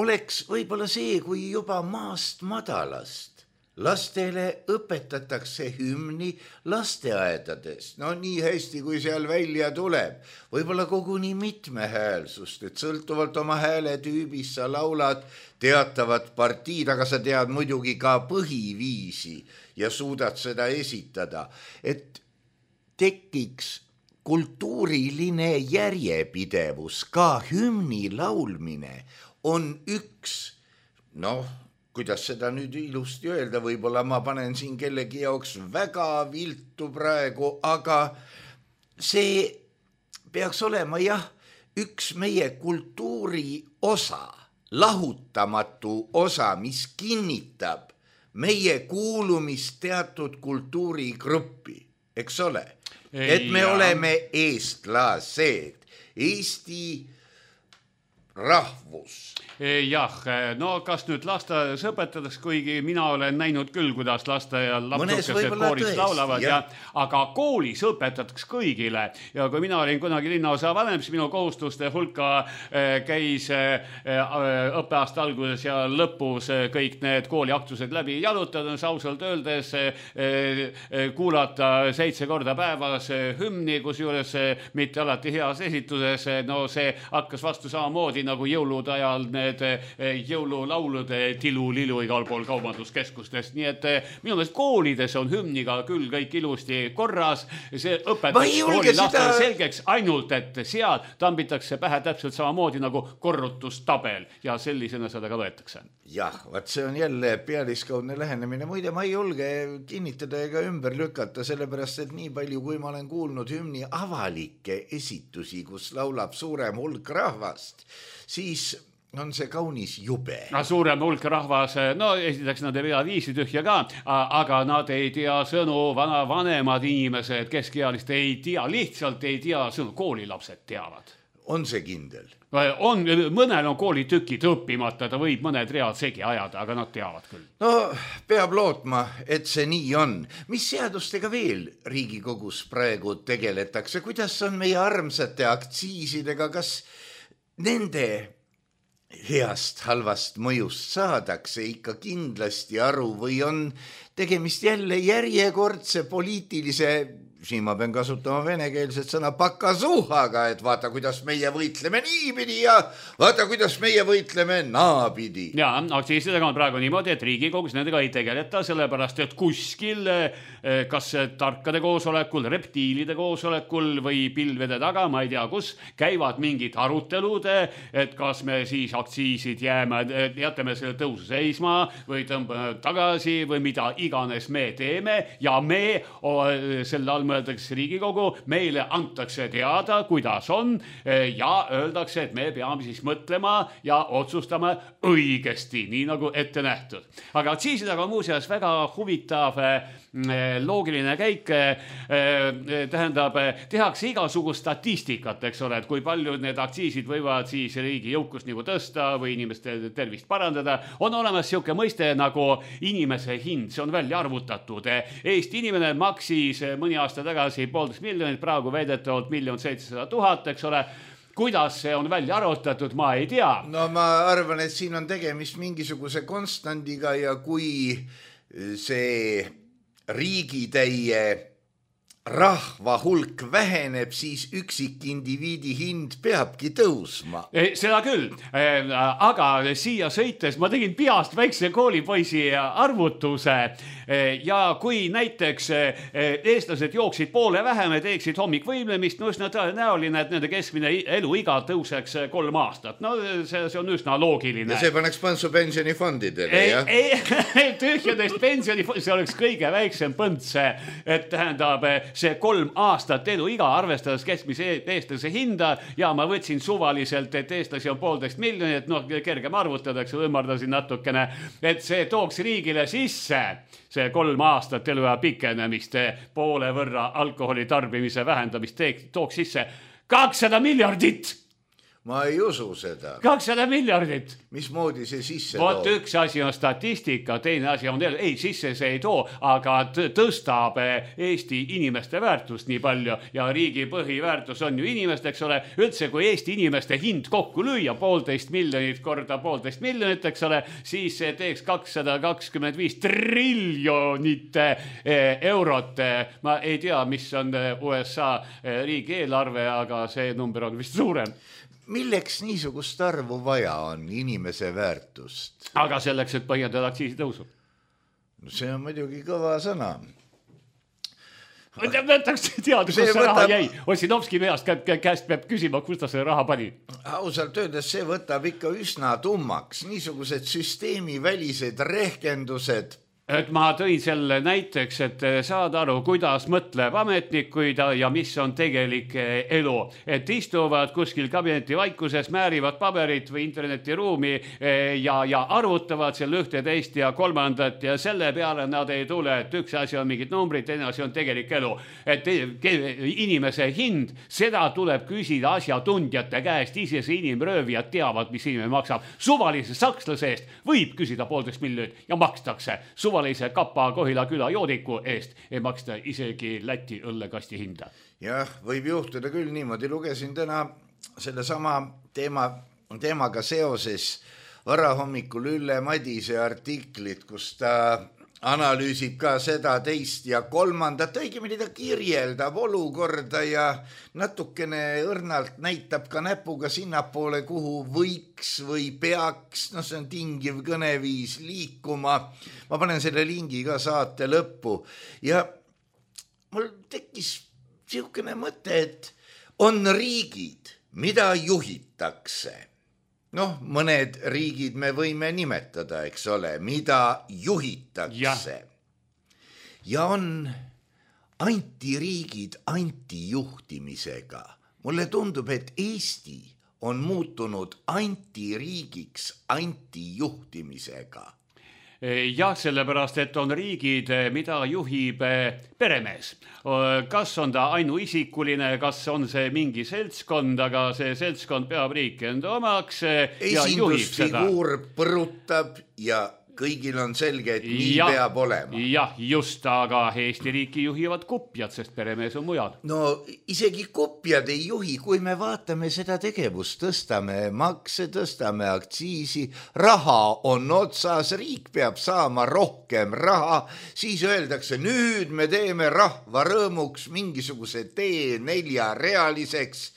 oleks võib-olla see, kui juba maast madalast lastele õpetatakse hümni lasteaedades. No nii hästi, kui seal välja tuleb. Võib-olla koguni mitmehäälsust, et sõltuvalt oma hääletüübist sa laulad teatavat partiid, aga sa tead muidugi ka põhiviisi ja suudad seda esitada. Et tekiks kultuuriline järjepidevus, ka hümni laulmine on üks, kuidas seda nüüd ilusti öelda, võib-olla ma panen siin kellegi jaoks väga viltu praegu, aga see peaks olema üks meie kultuuri osa, lahutamatu osa, mis kinnitab meie kuulumist teatud kultuurigruppi, eks ole? Et me oleme eestlased, Eesti rahvus. Jah, kas nüüd lasteaias õpetades, kuigi mina olen näinud küll, kuidas lasteaial lapsukesed koolis laulavad, aga koolis õpetatakse kõigile. Ja kui mina olin kunagi linnaosa vanem, siis minu kohustuste hulka käis õppeaasta alguses ja lõpus kõik need kooliaktused läbi jalutades, ausalt öeldes kuulata 7 korda päevas hümni, kusjuures mitte alati heas esituses. See hakkas vastu samamoodi nagu jõulude ajal jõululaulude tilu-lilu igal pool kaubanduskeskustest, nii et minu meelest koolides on hümniga küll kõik ilusti korras, see õpetatakse kooli lastele selgeks, ainult et seal tambitakse pähe täpselt samamoodi nagu korrutustabel ja sellisena seda ka võetakse. Jah, vaat see on jälle pealiskaudne lähenemine, muide ma ei julge kinnitada ega ümber lükata, sellepärast et nii palju, kui ma olen kuulnud hümni avalikke esitusi, kus laulab suurem hulk rahvast, siis on see kaunis jube. Suurem hulk rahvas, esiteks nad ei pea viisi tühja ka, aga nad ei tea sõnu, vanemad inimesed, keskealist ei tea, lihtsalt ei tea sõnu, koolilapsed teavad. On see kindel? Mõnel on koolitükid õppimata, ta võib mõned read segi ajada, aga nad teavad küll. Peab lootma, et see nii on. Mis seadustega veel Riigikogus praegu tegeletakse? Kuidas on meie armsate aktsiisidega? Kas nende heast halvast mõjust saadakse ikka kindlasti aru või on tegemist jälle järjekordse poliitilise, siin ma pean kasutama venekeelset sõna, pakasuhaga, et vaata, kuidas meie võitleme niipidi ja vaata, kuidas meie võitleme naapidi. Ja, aktsiisidega on praegu niimoodi, et Riigikogus nendega ei tegeleta, sellepärast, et kuskil, kas tarkade koosolekul, reptiilide koosolekul või pilvede taga, ma ei tea kus, käivad mingid arutelud, et kas me siis aktsiisid jätame selle tõusu seisma või tõmbame tagasi või mida iganes me teeme ja me selle all mõeldakse Riigikogu, meile antakse teada, kuidas on ja öeldakse, et me peame siis mõtlema ja otsustama õigesti, nii nagu ette nähtud. Aga aktsiisidega on muuseas väga huvitav loogiline käik, tähendab, tehakse igasugust statistikat, eks ole, et kui palju need aktsiisid võivad siis riigi jõukust nagu tõsta või inimeste tervist parandada. On olemas siuke mõiste nagu inimese hind, see on välja arvutatud. Eesti inimene maksis mõni aasta tagasi 1,5 miljonit, praegu väidetavalt 1 700 000, eks ole. Kuidas see on välja arvutatud, ma ei tea. Ma arvan, et siin on tegemist mingisuguse konstandiga ja kui see riigitäie rahva hulk väheneb, siis üksikindiviidi hind peabki tõusma. Seda küll, aga siia sõites ma tegin peast väikse koolipoisi arvutuse ja kui näiteks eestlased jooksid poole vähem ja teeksid hommikvõimlemist, üsna tõenäoline, et nende keskmine eluiga tõuseks 3 aastat. See on üsna loogiline. Ja see paneks põntsu pensionifondidele, jah? Ei, tühjadest pensionifondidest, see oleks kõige väiksem põnts, et tähendab see 3 aastat eluiga, arvestades keskmise eestlase hinda ja ma võtsin suvaliselt, et eestlasi on 1,5 miljonit, kergem arvutadaks, ümardasin natukene, et see tooks riigile sisse see 3 aastat eluea pikenemist, poole võrra alkoholi tarbimise vähendamist tooks sisse 200 miljardit. Ma ei usu seda. 200 miljardit. Mismoodi see sisse toob? Vot üks asi on statistika, teine asi on ei, sisse see ei too, aga tõstab Eesti inimeste väärtust nii palju ja riigi põhiväärtus on ju inimest, eks ole. Üldse, kui Eesti inimeste hind kokku lüüa 1,5 miljonit korda 1,5 miljonit, eks ole, siis see teeks 225 triljonit eurot. Ma ei tea, mis on USA riigi eelarve, aga see number on vist suurem. Milleks niisugust arvu vaja on inimese väärtust? Aga selleks, et põhjendada aktsiisi tõusu. See on muidugi kõva sõna. Võtaks teada, kus see raha jäi. Ossinovski käest peab küsima, kus ta selle raha pani. Ausalt öeldes see võtab ikka üsna tummaks. Niisugused süsteemivälised rehkendused. Et ma tõin selle näiteks, et saad aru, kuidas mõtleb ametnikuid ja mis on tegelik elu. Et istuvad kuskil kabineti vaikuses, määrivad paberit või internetiruumi ja arvutavad seal ühte, teist ja kolmandat ja selle peale nad ei tule, et üks asi on mingid numbrid, teine asi on tegelik elu. Et inimese hind, seda tuleb küsida asjatundjate käest, ise see inimröövijad teavad, mis inimene maksab. Suvalise sakslase eest võib küsida 1,5 miljonit ja makstakse. Suvalise Kapa Kohila küla joodiku eest ei maksta isegi Läti õllekasti hinda. Jah, võib juhtuda küll niimoodi. Lugesin täna sellesama teemaga seoses varahommikul Ülle Madise artiklit, kus ta analüüsib ka seda teist ja kolmandat, õigemini ta kirjeldab olukorda ja natukene õrnalt näitab ka näpuga sinnapoole, kuhu võiks või peaks, see on tingiv kõneviis, liikuma. Ma panen selle lingi ka saate lõppu ja mul tekkis niisugune mõte, et on riigid, mida juhitakse. Mõned riigid me võime nimetada, eks ole, mida juhitakse. Ja on antiriigid antijuhtimisega. Mulle tundub, et Eesti on muutunud antiriigiks antijuhtimisega. Jah, sellepärast, et on riigid, mida juhib peremees. Kas on ta ainuisikuline, kas on see mingi seltskond, aga see seltskond peab riiki enda omaks ja juhib seda. Esindusfiguur põrutab ja kõigil on selge, et nii peab olema. Jah, just, aga Eesti riiki juhivad kupjad, sest peremees on mujal. Isegi kupjad ei juhi, kui me vaatame seda tegevust, tõstame makse, tõstame aktsiisi, raha on otsas, riik peab saama rohkem raha, siis öeldakse, nüüd me teeme rahva rõõmuks mingisuguse tee 4-realiseks.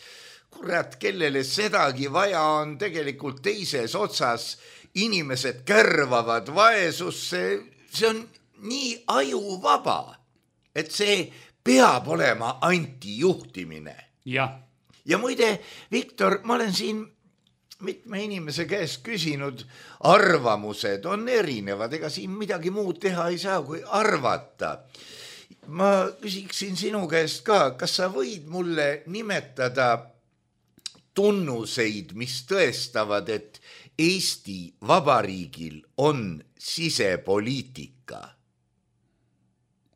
Kurat, kellele sedagi vaja on tegelikult teises otsas, inimesed kärvavad vaesusse, see on nii ajuvaba, et see peab olema antijuhtimine. Ja muide, Viktor, ma olen siin mitme inimese käest küsinud, arvamused on erinevad, ega siin midagi muud teha ei saa, kui arvata. Ma küsiksin sinu käest ka, kas sa võid mulle nimetada tunnuseid, mis tõestavad, et Eesti Vabariigil on sisepoliitika?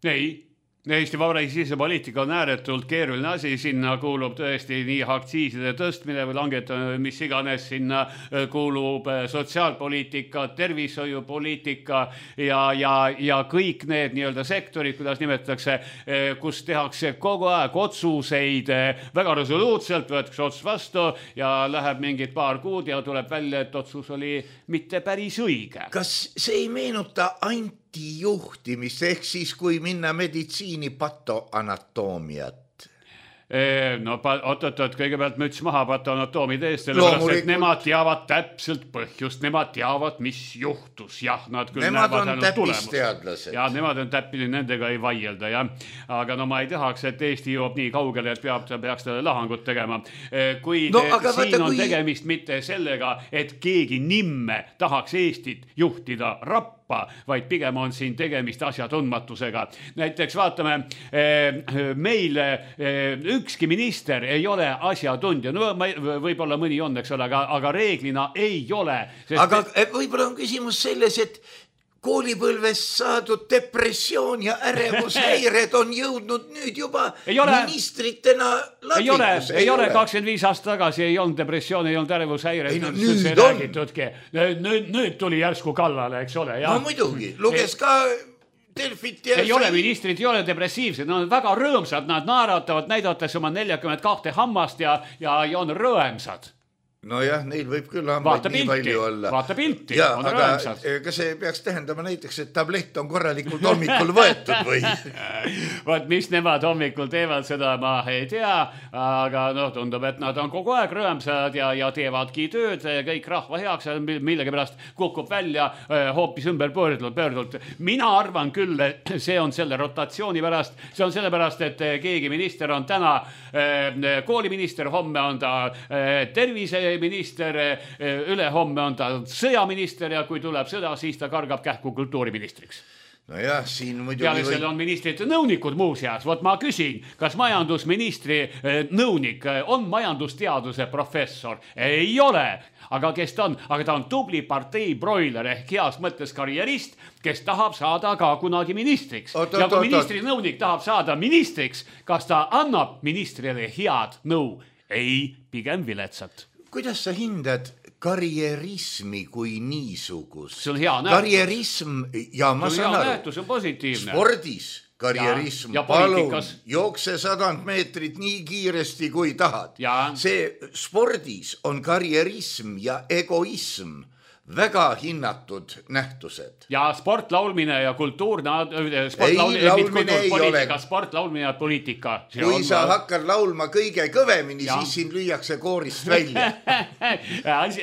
Ei. Eesti Vabariigi sisepoliitika on ääretult keeruline asi, sinna kuulub tõesti nii aktsiiside tõstmine või langetamine, mis iganes, sinna kuulub sotsiaalpoliitika, tervishoiupoliitika ja kõik need nii-öelda sektorid, kuidas nimetatakse, kus tehakse kogu aeg otsuseid väga resoluutselt, võetakse otsus vastu ja läheb mingid paar kuud ja tuleb välja, et otsus oli mitte päris õige. Kas see ei meenuta antijuhtimist, ehk siis kui minna meditsiini patoanatoomiat? Oot, kõigepealt müts maha patoanatoomide eest, sellepärast, et nemad teavad täpselt põhjust, nemad teavad, mis juhtus. Jah, nad küll nemad on täppisteadlased. Ja nemad on täppili, nendega ei vaielda, jah. Aga ma ei tahaks, et Eesti jõuab nii kaugele, et peaks talle lahangut tegema. Kuid siin on tegemist mitte sellega, et keegi nimme tahaks Eestit juhtida rappa, vaid pigem on siin tegemist asjatundmatusega. Näiteks vaatame, meil ükski minister ei ole asjatundja. Võib-olla mõni on, eks ole, aga reeglina ei ole. Aga võib-olla on küsimus selles, et koolipõlves saadud depressioon ja ärevushäired on jõudnud nüüd juba ministritena ladvikusse. Ei ole, 25 aasta tagasi ei olnud depressioon, ei olnud ärevushäired. Nüüd tuli järsku kallale, eks ole. No muidugi, luges ka Delfit ja... Ei ole ministrid, ei ole depressiivsed, nad on väga rõõmsad, nad naeratavad, näidates oma 42 hammast ja on rõõmsad. Nojah, neil võib küll hambaid nii palju olla. Vaata pilti, ja, on aga rõõmsad. Kas see peaks tähendama näiteks, et tablett on korralikult hommikul võetud või? Vaat, mis nemad hommikul teevad, seda ma ei tea, aga tundub, et nad on kogu aeg rõõmsad ja teevadki tööd, kõik rahva heaks, millegi pärast kukub välja hoopis ümber pöördult. Mina arvan küll, et see on selle rotatsiooni pärast, see on selle pärast, et keegi minister on täna kooliminister, homme on ta terviseminister, ülehomme on ta sõjaminister ja kui tuleb sõda, siis ta kargab kähku kultuuriministriks. Nojah, siin muidugi peale selle on ministrite nõunikud muuseas. Vot ma küsin, kas majandusministri nõunik on majandusteaduse professor? Ei ole. Aga kes ta on? Aga ta on tubli partei broiler ehk heas mõttes karjerist, kes tahab saada ka kunagi ministriks. Ja kui ministri nõunik tahab saada ministriks, kas ta annab ministrile head nõu? Ei, pigem viletsat. Kuidas sa hindad karjerismi kui niisugust? See on hea nähtus. Karjerism, ja ma saan aru, see on positiivne. Spordis karjerism, ja palun, jookse 100 meetrit nii kiiresti kui tahad. See spordis on karjerism ja egoism väga hinnatud nähtused. Ja sportlaulmine ja kultuurne sportlaulmine ja poliitika. Kui sa hakkad laulma kõige kõvemini, siis sind lüüakse koorist välja.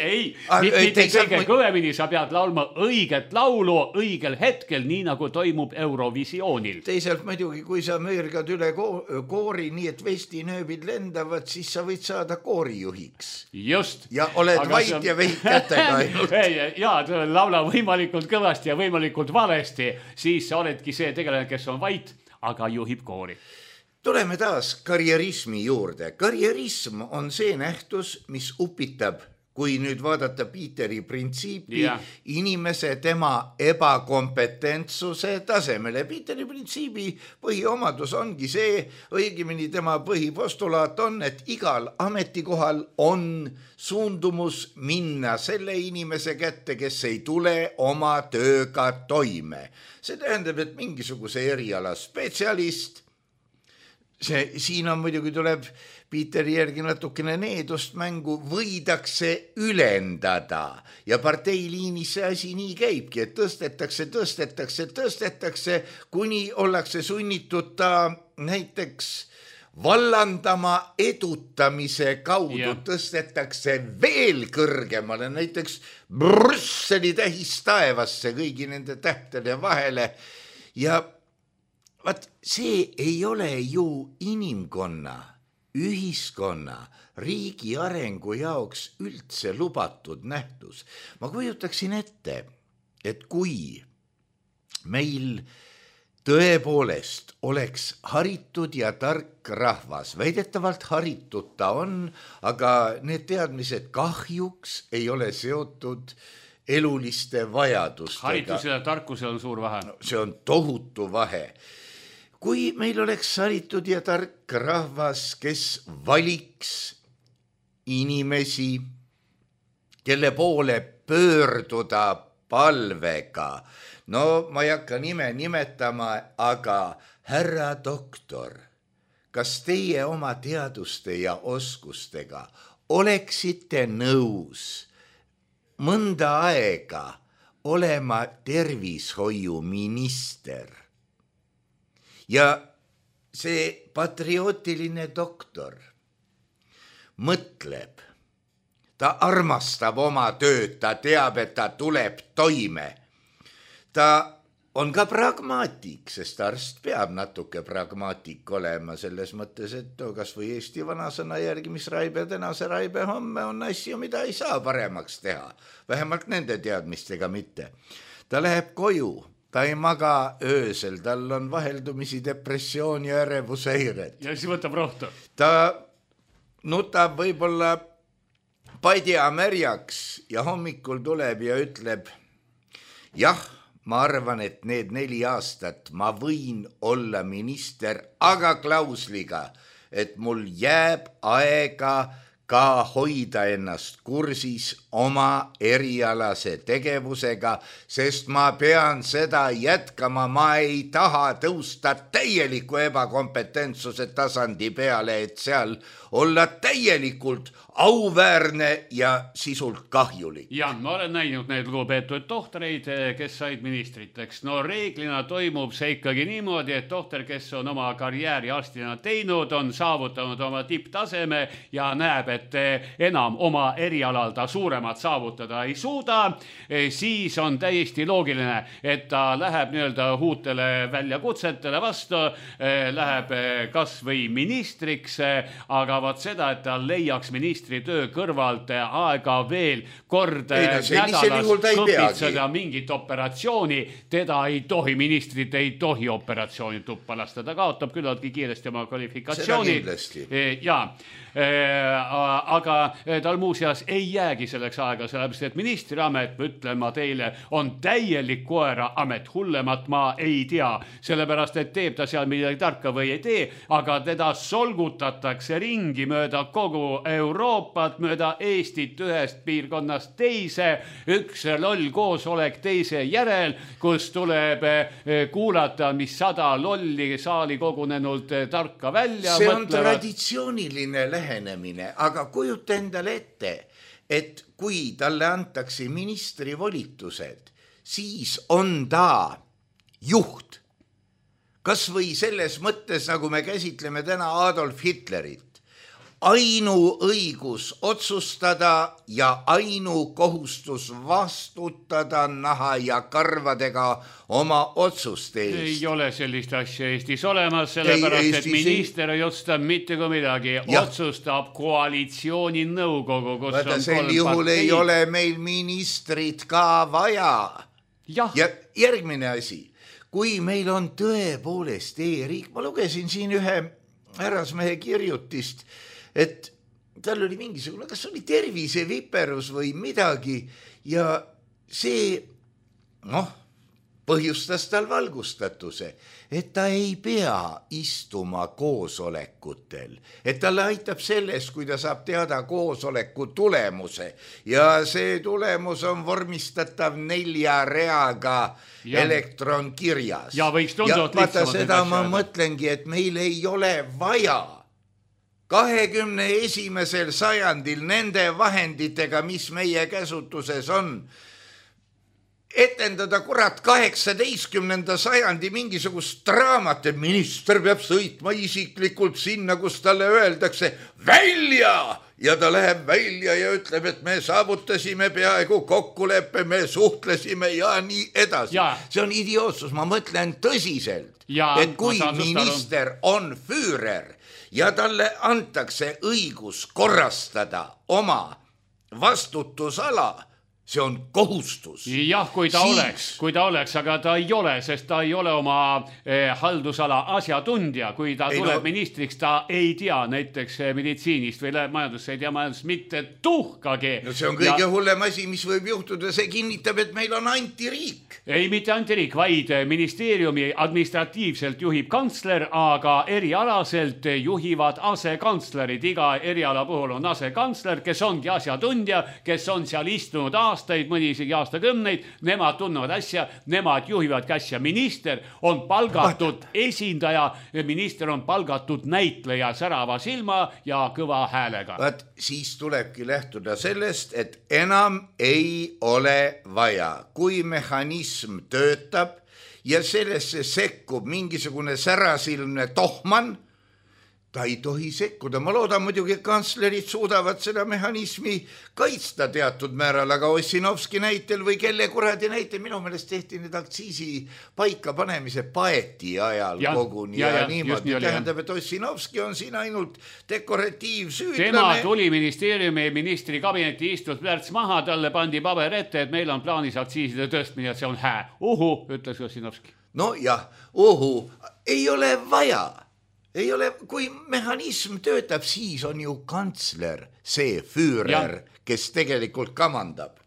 Ei, mitte kõige kõvemini, sa pead laulma õiget laulu õigel hetkel, nii nagu toimub Eurovisioonil. Teisalt muidugi, kui sa möörgad üle koori, nii et vestinööbid lendavad, siis sa võid saada koorijuhiks. Just. Ja oled vait ja vehid kätega ainult. Ja laula võimalikult kõvasti ja võimalikult valesti, siis sa oledki see tegelane, kes on vait, aga juhib koori. Tuleme taas karjerismi juurde. Karjerism on see nähtus, mis upitab, kui nüüd vaadata Peteri printsiipi, inimese tema ebakompetentsuse tasemele. Peteri printsiibi põhiomadus ongi see, õigemini tema põhipostulaat on, et igal ametikohal on suundumus minna selle inimese kätte, kes ei tule oma tööga toime. See tähendab, et mingisuguse eriala spetsialist, siin on muidugi tuleb Peteri järgi natukene needust mängu, võidakse ülendada ja parteiliinis see asi nii käibki, et tõstetakse, kuni ollakse sunnitud ta näiteks vallandama edutamise kaudu, tõstetakse veel kõrgemale, näiteks Brüsseli tähis taevasse kõigi nende tähtede vahele ja vaat see ei ole ju inimkonna, ühiskonna, riigi arengu jaoks üldse lubatud nähtus. Ma kujutaksin ette, et kui meil tõepoolest oleks haritud ja tark rahvas, väidetavalt haritud ta on, aga need teadmised kahjuks ei ole seotud eluliste vajadustega. Haritusel ja tarkusel on suur vahe. See on tohutu vahe. Kui meil oleks haritud ja tark rahvas, kes valiks inimesi, kelle poole pöörduda palvega, no ma ei hakka nime nimetama, aga härra doktor, kas teie oma teaduste ja oskustega oleksite nõus mõnda aega olema tervishoiuminister? Ja see patriootiline doktor mõtleb, ta armastab oma tööd, ta teab, et ta tuleb toime. Ta on ka pragmaatik, sest arst peab natuke pragmaatik olema selles mõttes, et kas või Eesti vanasõna järgi, mis raibe täna, see raibe homme, on asju, mida ei saa paremaks teha. Vähemalt nende teadmistega mitte. Ta läheb koju. Ta ei maga öösel, tal on vaheldumisi depressioon ja ärevuseired. Ja siis võtab rohtu. Ta nutab võib-olla padja märjaks ja hommikul tuleb ja ütleb, jah, ma arvan, et need 4 aastat ma võin olla minister, aga klausliga, et mul jääb aega ka hoida ennast kursis oma erialase tegevusega, sest ma pean seda jätkama, ma ei taha tõusta täieliku ebakompetentsuse tasandi peale, et seal olla täielikult auväärne ja sisult kahjulik. Ja ma olen näinud neid lugupeetud tohtreid, kes said ministriteks. No reeglina toimub see ikkagi niimoodi, et tohter, kes on oma karjääri arstina teinud, on saavutanud oma tipptaseme ja näeb, et enam oma erialal ta suuremat saavutada ei suuda, siis on täiesti loogiline, et ta läheb nii-öelda uutele väljakutsetele vastu, läheb kas või ministriks, aga vaat seda, et ta leiaks ministri töö kõrvalt aega veel kord nädalas kõpitseda mingit operatsiooni, teda ei tohi, ministrit ei tohi operatsiooni tuppa lasta, ta kaotab küllaltki kiiresti oma kvalifikatsiooni. Ja aga tal muuseas ei jäägi selleks aega, sellepärast et ministriamet, ütlen ma teile, on täielik koera amet, hullemat ma ei tea, sellepärast et teeb ta seal midagi tarka või ei tee, aga teda solgutatakse ringi mööda kogu Euroopat, mööda Eestit ühest piirkonnast teise, üks loll koosolek teise järel, kus tuleb kuulata, mis 100 lolli saali kogunenult tarka välja see on traditsiooniline lähenemine, aga kujuta endale ette, et kui talle antakse ministri volitused, siis on ta juht. Kas või selles mõttes, nagu me käsitleme täna Adolf Hitlerit, ainuõigus otsustada ja ainukohustus vastutada naha ja karvadega oma otsuste eest. Ei ole sellist asja Eestis olemas, sellepärast et minister ei otsustab mitte kui midagi, otsustab koalitsiooni nõukogu, kus Vaata, on sel juhul ei ole meil ministrit ka vaja. Ja järgmine asi, kui meil on tõepoolest e-riik, ma lugesin siin ühe härrasmehe kirjutist, et tal oli mingisugune, kas oli terviseviperus või midagi ja see, põhjustas tal valgustatuse, et ta ei pea istuma koosolekutel, et talle aitab selles, kui ta saab teada koosoleku tulemuse ja see tulemus on vormistatav 4 reaga elektronkirjas. Ja võiks tunduvalt lihtsamalt. Seda ma mõtlengi, et meil ei ole vaja 21. sajandil nende vahenditega, mis meie käsutuses on, etendada kurat 18. sajandi mingisugust draamat, et minister peab sõitma isiklikult sinna, kus talle öeldakse välja ja ta läheb välja ja ütleb, et me saavutasime peaaegu kokkuleppe, me suhtlesime ja nii edasi. See on idiootsus, ma mõtlen tõsiselt, et kui minister on füürer ja talle antakse õigus korrastada oma vastutusala, see on kohustus. Jah, kui ta oleks, aga ta ei ole, sest ta ei ole oma haldusala asjatundja. Kui ta tuleb ministriks, ta ei tea näiteks meditsiinist või läheb majandusse, ei tea majandust mitte tuhkagi. No see on kõige hullem asi, mis võib juhtuda. See kinnitab, et meil on antiriik. Ei, mitte antiriik, vaid ministeeriumi administratiivselt juhib kantsler, aga erialaselt juhivad asekantslerid. Iga eriala puhul on asekantsler, kes ongi asjatundja, kes on seal istunud aastaid, mõni isegi aastakümneid, nemad tunnevad asja, nemad juhivadki asja. Minister on palgatud esindaja, minister on palgatud näitleja särava silma ja kõva häälega. Siis tulebki lähtuda sellest, et enam ei ole vaja. Kui mehhanism töötab ja sellesse sekkub mingisugune särasilmne tohman, ta ei tohi sekkuda. Ma loodan muidugi, et kantslerid suudavad seda mehhanismi kaitsta teatud määral, aga Ossinovski näitel või kelle kuradi näitel, minu meelest tehti need aktsiisi paika panemise Paeti ajal koguni ja niimoodi. Tähendab, et Ossinovski on siin ainult dekoratiivsüüdlane. Tema tuli ministeeriumi ministri kabineti istus plärts maha, talle pandi paber ette, et meil on plaanis aktsiiside tõstmine, et see on hää. Ütles Ossinovski. No jah, ei ole vaja. Ei ole, kui mehhanism töötab, siis on ju kantsler see füürer, kes tegelikult kamandab.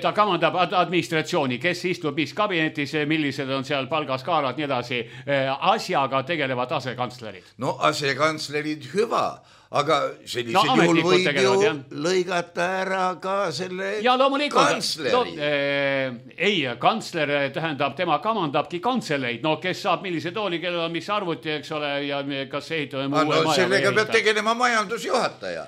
Ta kamandab administratsiooni, kes istub mis kabinetis, millised on seal palgaskaalad, nii edasi. Asjaga tegelevad asekantslerid. No asekantslerid hüva, aga sellisel juhul ametnikud võib tegelevad, ju jah. lõigata ära ka selle ja loomulikult kantsleri. ei, kantsler tähendab, tema kamandabki kantseleid, no kes saab millise tooli, kellel on mis arvuti, eks ole, ja kas ehitame uue maja sellega peab tegelema majandusjuhataja.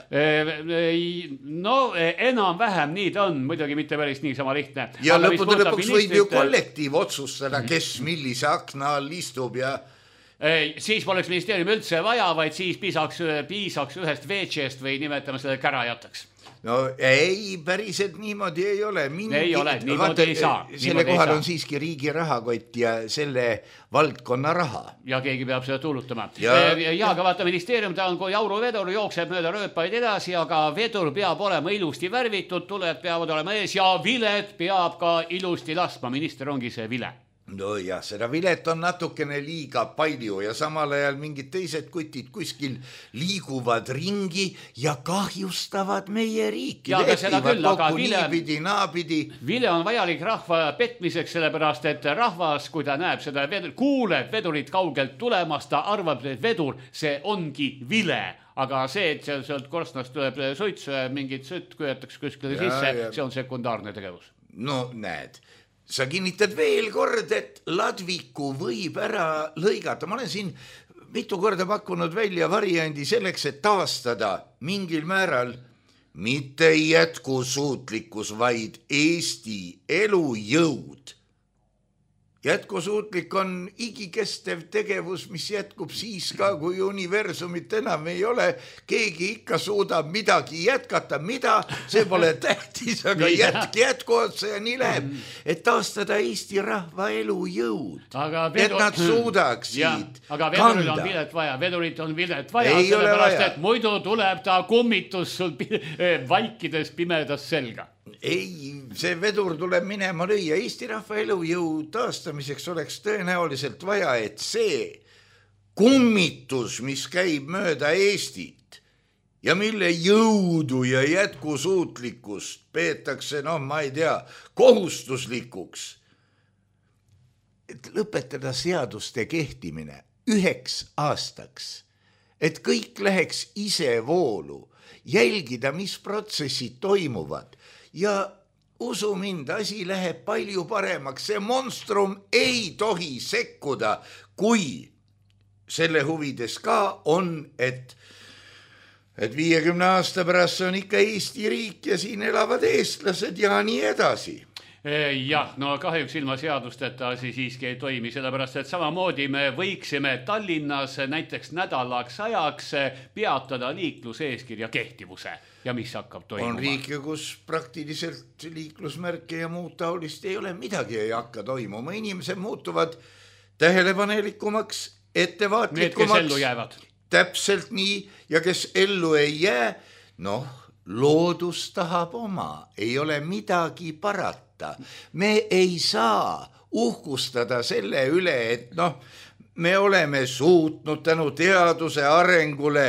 no enam-vähem nii ta on, muidugi mitte päris niisama lihtne. Ja lõpuks võib ju kollektiiv otsustada, kes millise akna all istub ja siis poleks ministeeriumi üldse vaja, vaid siis piisaks ühest VC-st või nimetame selle kärajataks. No ei, päriselt niimoodi ei ole. Ei ole, niimoodi ei saa. Selle kohal on siiski riigi rahakott ja selle valdkonna raha. Ja keegi peab seda tuulutama. Aga vaata, ministeerium ta on kui auruvedur, jookseb mööda rööpaid edasi, aga vedur peab olema ilusti värvitud, tuled peavad olema ees ja vilet peab ka ilusti laskma. Minister ongi see vile. No jah, seda vilet on natukene liiga palju ja samal ajal mingid teised kutid kuskil liiguvad ringi ja kahjustavad meie riiki. Ja aga seda küll, aga vile on vajalik rahva petmiseks, sellepärast et rahvas, kui ta näeb seda kuuleb vedurit kaugelt tulemas, ta arvab, et vedur, see ongi vile. Aga see, et sealt korstnast tuleb suitsu ja mingit sõtt köetakse kuskile sisse, see on sekundaarne tegevus. No näed. Sa kinnitad veel kord, et ladviku võib ära lõigata. Ma olen siin mitu korda pakkunud välja variandi selleks, et taastada mingil määral mitte jätkusuutlikkus, vaid Eesti elujõud. Jätkusuutlik on igikestev tegevus, mis jätkub siis ka, kui universumit enam ei ole. Keegi ikka suudab midagi jätkata, mida, see pole tähtis, aga jätku otsa ja nii läheb. Et taastada Eesti rahva elujõud. Et nad suudaksid aga vedurit on vilet vaja, sellepärast, et muidu tuleb ta kummitus sul vaikides pimedas selga. Ei, see vedur tuleb minema lüüa. Eesti rahva elujõu taastamiseks oleks tõenäoliselt vaja, et see kummitus, mis käib mööda Eestit ja mille jõudu ja jätkusuutlikkust peetakse, ma ei tea, kohustuslikuks, et lõpetada seaduste kehtimine 1 aastaks, et kõik läheks ise voolu, jälgida, mis protsessid toimuvad. Ja usu mind, asi läheb palju paremaks. See monstrum ei tohi sekkuda, kui selle huvides ka on, et 50 aasta pärast on ikka Eesti riik ja siin elavad eestlased ja nii edasi. Jah, no kahjuks ilma seadusteta siiski ei toimi, sellepärast et samamoodi me võiksime Tallinnas näiteks nädalaks ajaks peatada liikluseeskirja kehtivuse ja mis hakkab toimuma. On riike, kus praktiliselt liiklusmärke ja muud taolist ei ole, midagi ei hakka toimuma. Inimesed muutuvad tähelepanelikumaks, ettevaatlikumaks. Need, kes ellu jäävad. Täpselt nii ja kes ellu ei jää, loodus tahab oma, ei ole midagi parata. Me ei saa uhkustada selle üle, et me oleme suutnud tänu teaduse arengule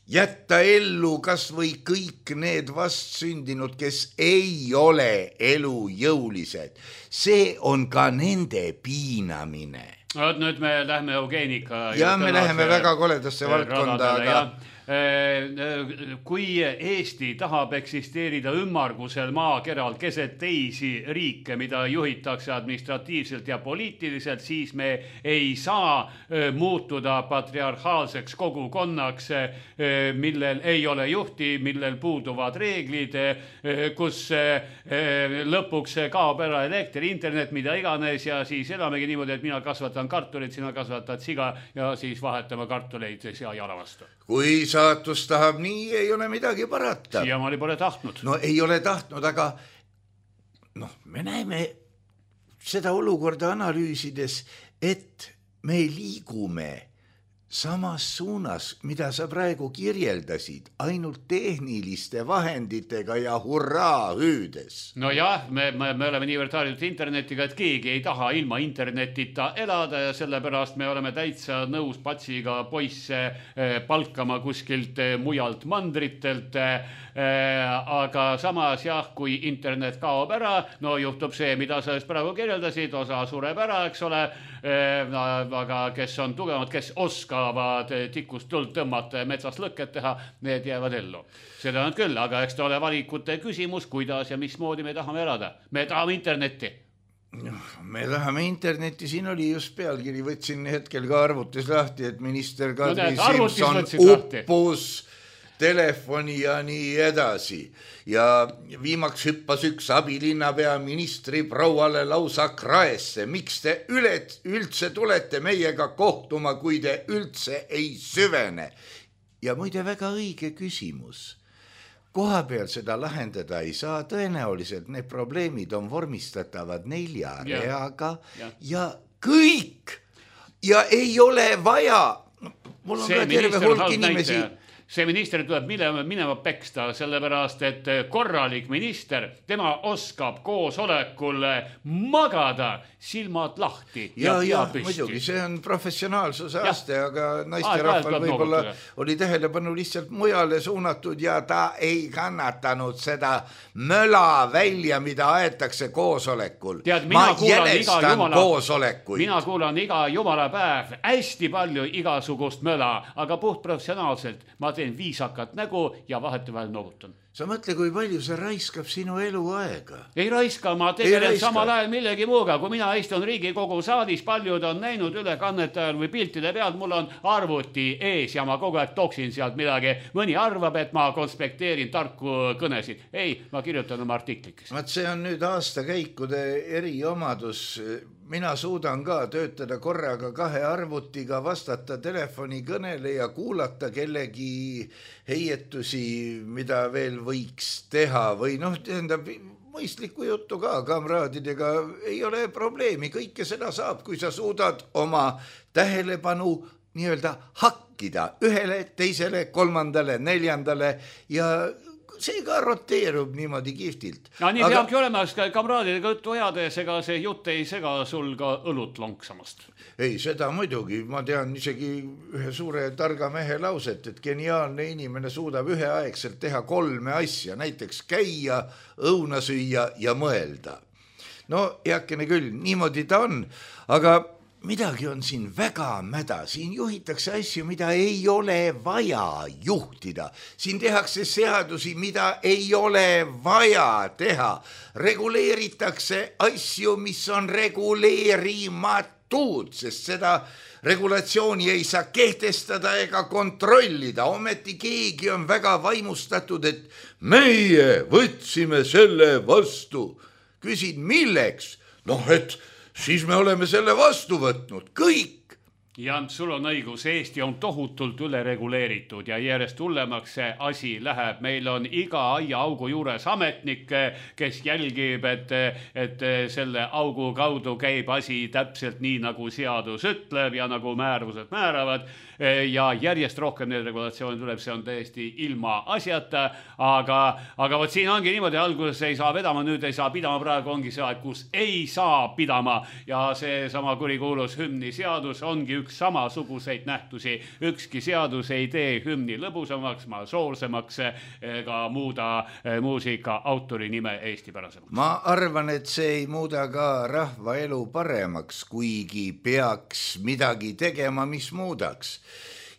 jätta ellu kas või kõik need vastsündinud, kes ei ole elujõulised. See on ka nende piinamine. Nüüd me lähme eugeenika. Ja me läheme väga koledasse valdkonda, aga kui Eesti tahab eksisteerida ümmargusel maakeral keset teisi riike, mida juhitakse administratiivselt ja poliitiliselt, siis me ei saa muutuda patriarhaalseks kogukonnaks, millel ei ole juhti, millel puuduvad reeglid, kus lõpuks kaob ära elekter, internet, mida iganes ja siis elamegi niimoodi, et mina kasvatan kartulit, sina kasvatad siga ja siis vahetame kartuleid sea jala vastu. Kui saatus tahab nii, ei ole midagi parata. Siiamaani pole tahtnud. No ei ole tahtnud, aga me näeme seda olukorda analüüsides, et me liigume samas suunas, mida sa praegu kirjeldasid, ainult tehniliste vahenditega ja hurraa hüüdes. No jah, me oleme niivõrd harjunud internetiga, et keegi ei taha ilma internetita elada ja sellepärast me oleme täitsa nõus patsiga poisse palkama kuskilt mujalt mandritelt, aga samas jah, kui internet kaob ära, juhtub see, mida sa praegu kirjeldasid, osa sureb ära, eks ole, aga kes on tugevamad, kes oskavad oskavad tikust tuld tõmmata ja metsast lõket teha, need jäävad ellu. Seda on küll, aga eks ta ole valikute küsimus, kuidas ja mismoodi me tahame elada. Me tahame internetti. Me tahame internetti, siin oli just pealkiri, võtsin hetkel ka arvutis lahti, et minister Kadri Simson uppus telefoni ja nii edasi. Ja viimaks hüppas üks abilinnapea ministri prouale lausa kraesse. Miks te üldse tulete meiega kohtuma, kui te üldse ei süvene? Ja muide väga õige küsimus. Koha peal seda lahendada ei saa, tõenäoliselt need probleemid on vormistatavad 4 reaga ja kõik ja ei ole vaja. Mul on ka terve hulk inimesi. See minister tuleb minema peksta, sellepärast, et korralik minister, tema oskab koosolekul magada silmad lahti ja püsti. Muidugi, see on professionaalsuse aste, aga naisterahval võib-olla oli tähelepanu lihtsalt mujale suunatud ja ta ei kannatanud seda möla välja, mida aetakse koosolekul. Ma jälestan koosolekuid. Mina kuulan iga jumala päev hästi palju igasugust möla, aga puhtprofessionaalselt ma teen viisakat nägu ja vahetevahel noogutan. Sa mõtle, kui palju see raiskab sinu eluaega. Ei raiska, ma tegelen samal ajal millegi muuga. Kui mina istun Riigikogu saalis, paljud on näinud ülekannete ajal või piltide pealt, mul on arvuti ees ja ma kogu aeg toksin sealt midagi. Mõni arvab, et ma konspekteerin tarku kõnesid. Ei, ma kirjutan oma artiklikes. See on nüüd aastakäikude eriomadus. Mina suudan ka töötada korraga 2 arvutiga, vastata telefoni kõnele ja kuulata kellegi heietusi, mida veel võiks teha või tähendab mõistlikku juttu ka kamraadidega. Ei ole probleemi, kõike seda saab, kui sa suudad oma tähelepanu nii-öelda hakkida ühele, teisele, 3., 4. ja see ka roteerub niimoodi kihvtilt. Ja nii peabki olema, kamraadidega juttu ajades, ega see jutt ei sega sul ka õlut lonksamast. Ei, seda muidugi. Ma tean isegi ühe suure targa mehe lauset, et geniaalne inimene suudab üheaegselt teha 3 asja, näiteks käia, õuna süüa ja mõelda. No heakene küll, niimoodi ta on, aga midagi on siin väga mäda, siin juhitakse asju, mida ei ole vaja juhtida. Siin tehakse seadusi, mida ei ole vaja teha. Reguleeritakse asju, mis on reguleerimatud, sest seda regulatsiooni ei saa kehtestada ega kontrollida. Ometi keegi on väga vaimustatud, et meie võtsime selle vastu. Küsin, milleks? Et siis me oleme selle vastu võtnud, kõik. Ja sul on õigus, Eesti on tohutult ülereguleeritud ja järjest hullemaks see asi läheb. Meil on iga aiaaugu juures ametnik, kes jälgib, et selle augu kaudu käib asi täpselt nii, nagu seadus ütleb ja nagu määrused määravad. Ja järjest rohkem need regulatsioonid tuleb, see on täiesti ilma asjata, aga võt siin ongi niimoodi, alguses ei saa vedama, nüüd ei saa pidama, praegu ongi see aeg, kus ei saa pidama ja see sama kurikuulus hümni seadus ongi üks samasuguseid nähtusi. Ükski seadus ei tee hümni lõbusamaks, soolsemaks ega muuda muusika autori nime eestipärasemaks. Ma arvan, et see ei muuda ka rahva elu paremaks, kuigi peaks midagi tegema, mis muudaks.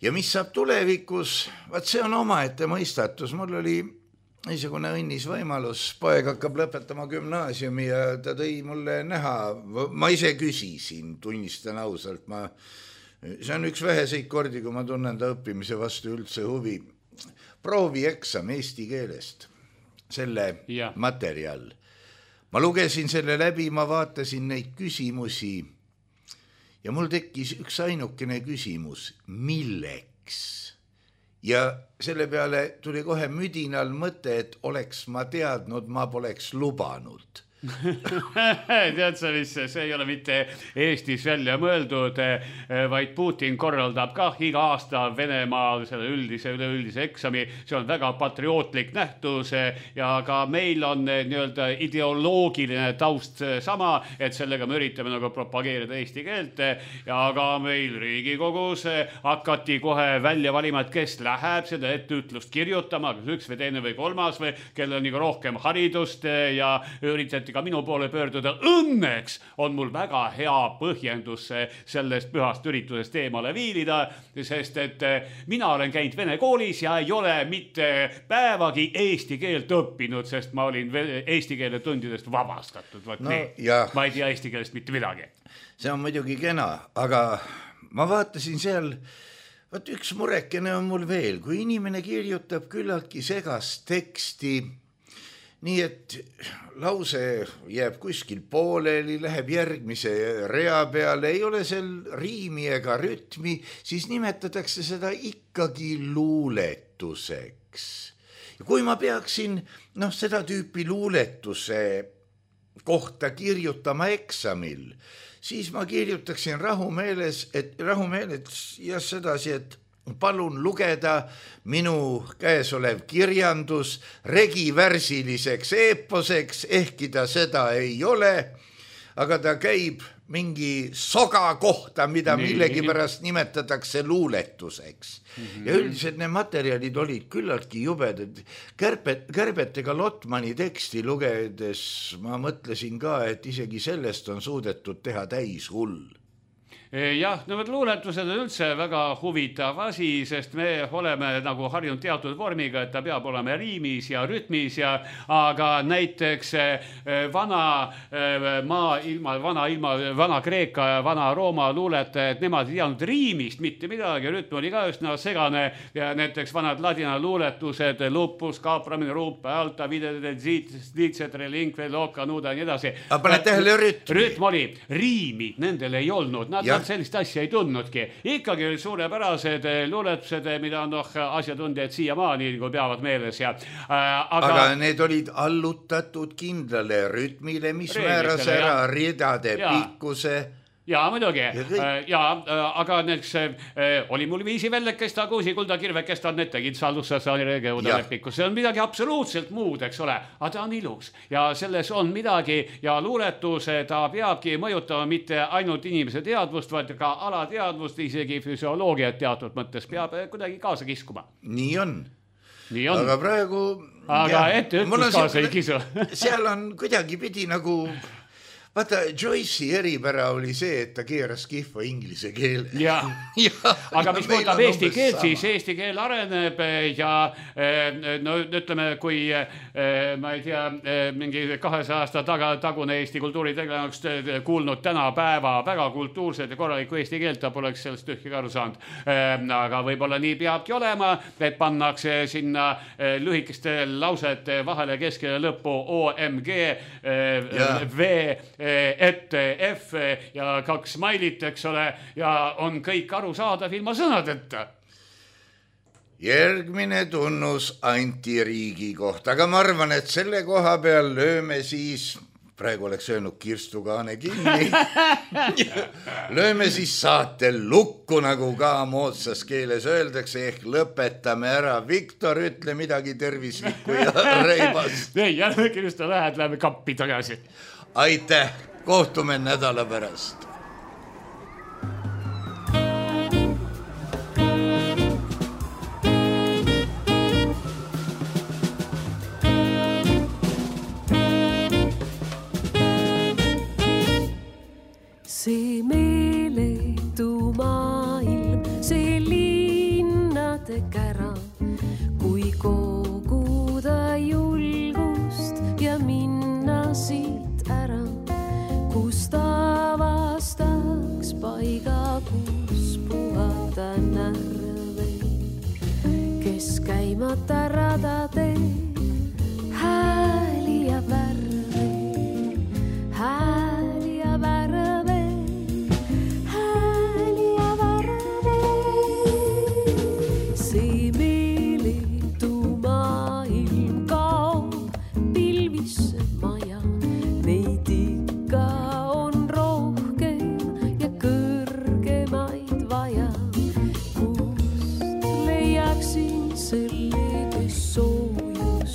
Ja mis saab tulevikus, see on omaette mõistatus. Mul oli niisugune õnnis võimalus, poeg hakkab lõpetama gümnaasiumi ja ta tõi mulle näha, ma ise küsisin, tunnistan ausalt, see on üks väheseid kordi, kui ma tunnen ta õppimise vastu üldse huvi. Proovieksam eesti keelest, selle materjal. Ma lugesin selle läbi, ma vaatasin neid küsimusi ja mul tekkis üks ainukene küsimus, milleks? Ja selle peale tuli kohe müdinal mõte, et oleks ma teadnud, ma poleks lubanud. Tead sa, mis see ei ole mitte Eestis välja mõeldud, vaid Putin korraldab ka iga aasta Venemaal selle üleüldise eksami. See on väga patriootlik nähtus ja ka meil on nii-öelda ideoloogiline taust sama, et sellega me üritame nagu propageerida eesti keelt ja ka meil Riigikogus hakati kohe välja valima, et kes läheb seda etteütlust kirjutama, kas üks või teine või kolmas või kellel on nagu rohkem haridust ja üritati et ka minu poole pöörduda. Õnneks on mul väga hea põhjendus sellest pühast üritusest eemale viilida, sest et mina olen käinud vene koolis ja ei ole mitte päevagi eesti keelt õppinud, sest ma olin eesti keele tundidest vabastatud. No, ja... Ma ei tea eesti keelest mitte midagi. See on muidugi kena, aga ma vaatasin seal, võt üks murekene on mul veel, kui inimene kirjutab küllaltki segast teksti, nii et lause jääb kuskil pooleli, läheb järgmise rea peale, ei ole seal riimi ega rütmi, siis nimetatakse seda ikkagi luuletuseks. Ja kui ma peaksin seda tüüpi luuletuse kohta kirjutama eksamil, siis ma kirjutaksin rahumeeles ja sedasi, et palun lugeda minu käesolev kirjandus regivärsiliseks eeposeks, ehkki ta seda ei ole, aga ta käib mingi soga kohta, mida millegipärast nimetatakse luuletuseks. Ja üldiselt need materjalid olid küllaltki jubedad. Kärbetega Lotmani teksti lugedes ma mõtlesin ka, et isegi sellest on suudetud teha täis hull. Jah, luuletused on üldse väga huvitav asi, sest me oleme nagu harjunud teatud vormiga, et ta peab olema riimis ja rütmis, aga näiteks vana Kreeka ja vana Rooma luuletajad, nemad ei teadnud riimist mitte midagi, rütm oli ka üsna segane ja näiteks vanad ladina luuletused, lupus, kaapramine, ruupe, alta, videde, ziitsetre, linkve, looka, nuuda ja nii edasi. Aga pane tähele rütmi. Rütm oli, riimi nendel ei olnud, nad sellist asja ei tundnudki. Ikkagi oli suurepärased luuletused, mida on asjatundjad siiamaani peavad meeles. Aga need olid allutatud kindlale rütmile, mis määras ära ridade pikkuse. Jaa, muidugi. Aga näiteks oli mul viisi vellekest, kuusi kulda kirvekest on need tegid sallusse saanirege pikkus. See on midagi absoluutselt muud, eks ole, aga ta on ilus ja selles on midagi ja luuletus ta peabki mõjutama mitte ainult inimese teadvust, vaid ka alateadvust, isegi füsioloogiat teatud mõttes peab kuidagi kaasa kiskuma. Nii on. Aga praegu... Aga ette ütlus kaasa ei kisu. Seal on kuidagi pidi nagu... Vaata, Joyce'i eripära oli see, et ta keeras kihva inglise keele. Aga mis puudutab eesti keelt, siis eesti keel areneb ja ütleme, kui ma ei tea, mingi 200 aasta tagune Eesti kultuuritegelane oleks kuulnud tänapäeva väga kultuurset ja korralikku eesti keelt, ta poleks sellest ühtki aru saanud. Aga võib-olla nii peabki olema, et pannakse sinna lühikeste lausete vahele keskele lõppu OMG, V, ette F ja 2 smailit, eks ole, ja on kõik arusaadav ilma sõnadeta. Järgmine tunnus antiriigi kohta, aga ma arvan, et selle koha peal lööme siis, praegu oleks öelnud Kirstu Kaane kinni, lööme siis saate lukku, nagu ka moodsas keeles öeldakse, ehk lõpetame ära. Viktor, ütle midagi tervislikku ja reibast. Ei, jälle Kirstu lähed, läheme kappi tagasi. Aitäh, kohtume nädala pärast. See meeletu maailm, see linnade kära, kui koguda julgust ja minna siit ära, kus avastaks paiga, kus puhata närve, kes käimata radade hääli ja värve, hääli ja värve, hääli ja värve. See meeletu maailm kaob pilvisse maja, neid ikka on rohkem ja kõrgemaid vaja, kust leiaksin selle, kes soojust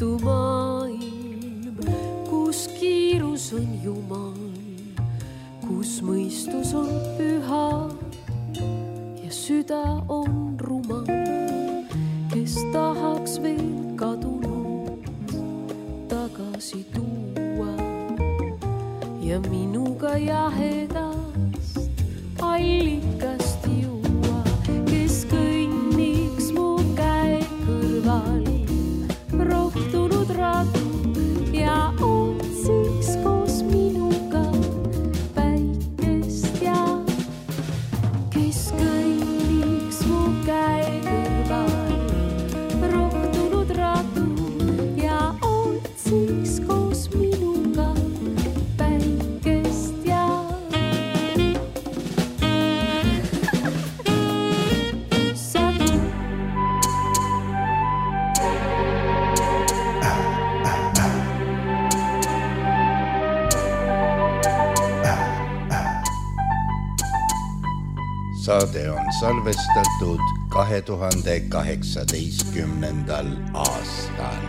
õhtu maailm, kus kiirus on jumal, kus mõistus on püha ja süda on rumal, kes tahaks veel kadunud tagasi tuua ja minuga jahedast allikast juua, kes kõnniks mu käe kõrval rohtunud radu ja otsiks koos minuga päikest ja kes kõnniks mu käe kõrval rohtunud radu ja otsiks koos minuga päikest ja saade on salvestatud 2018. aastal.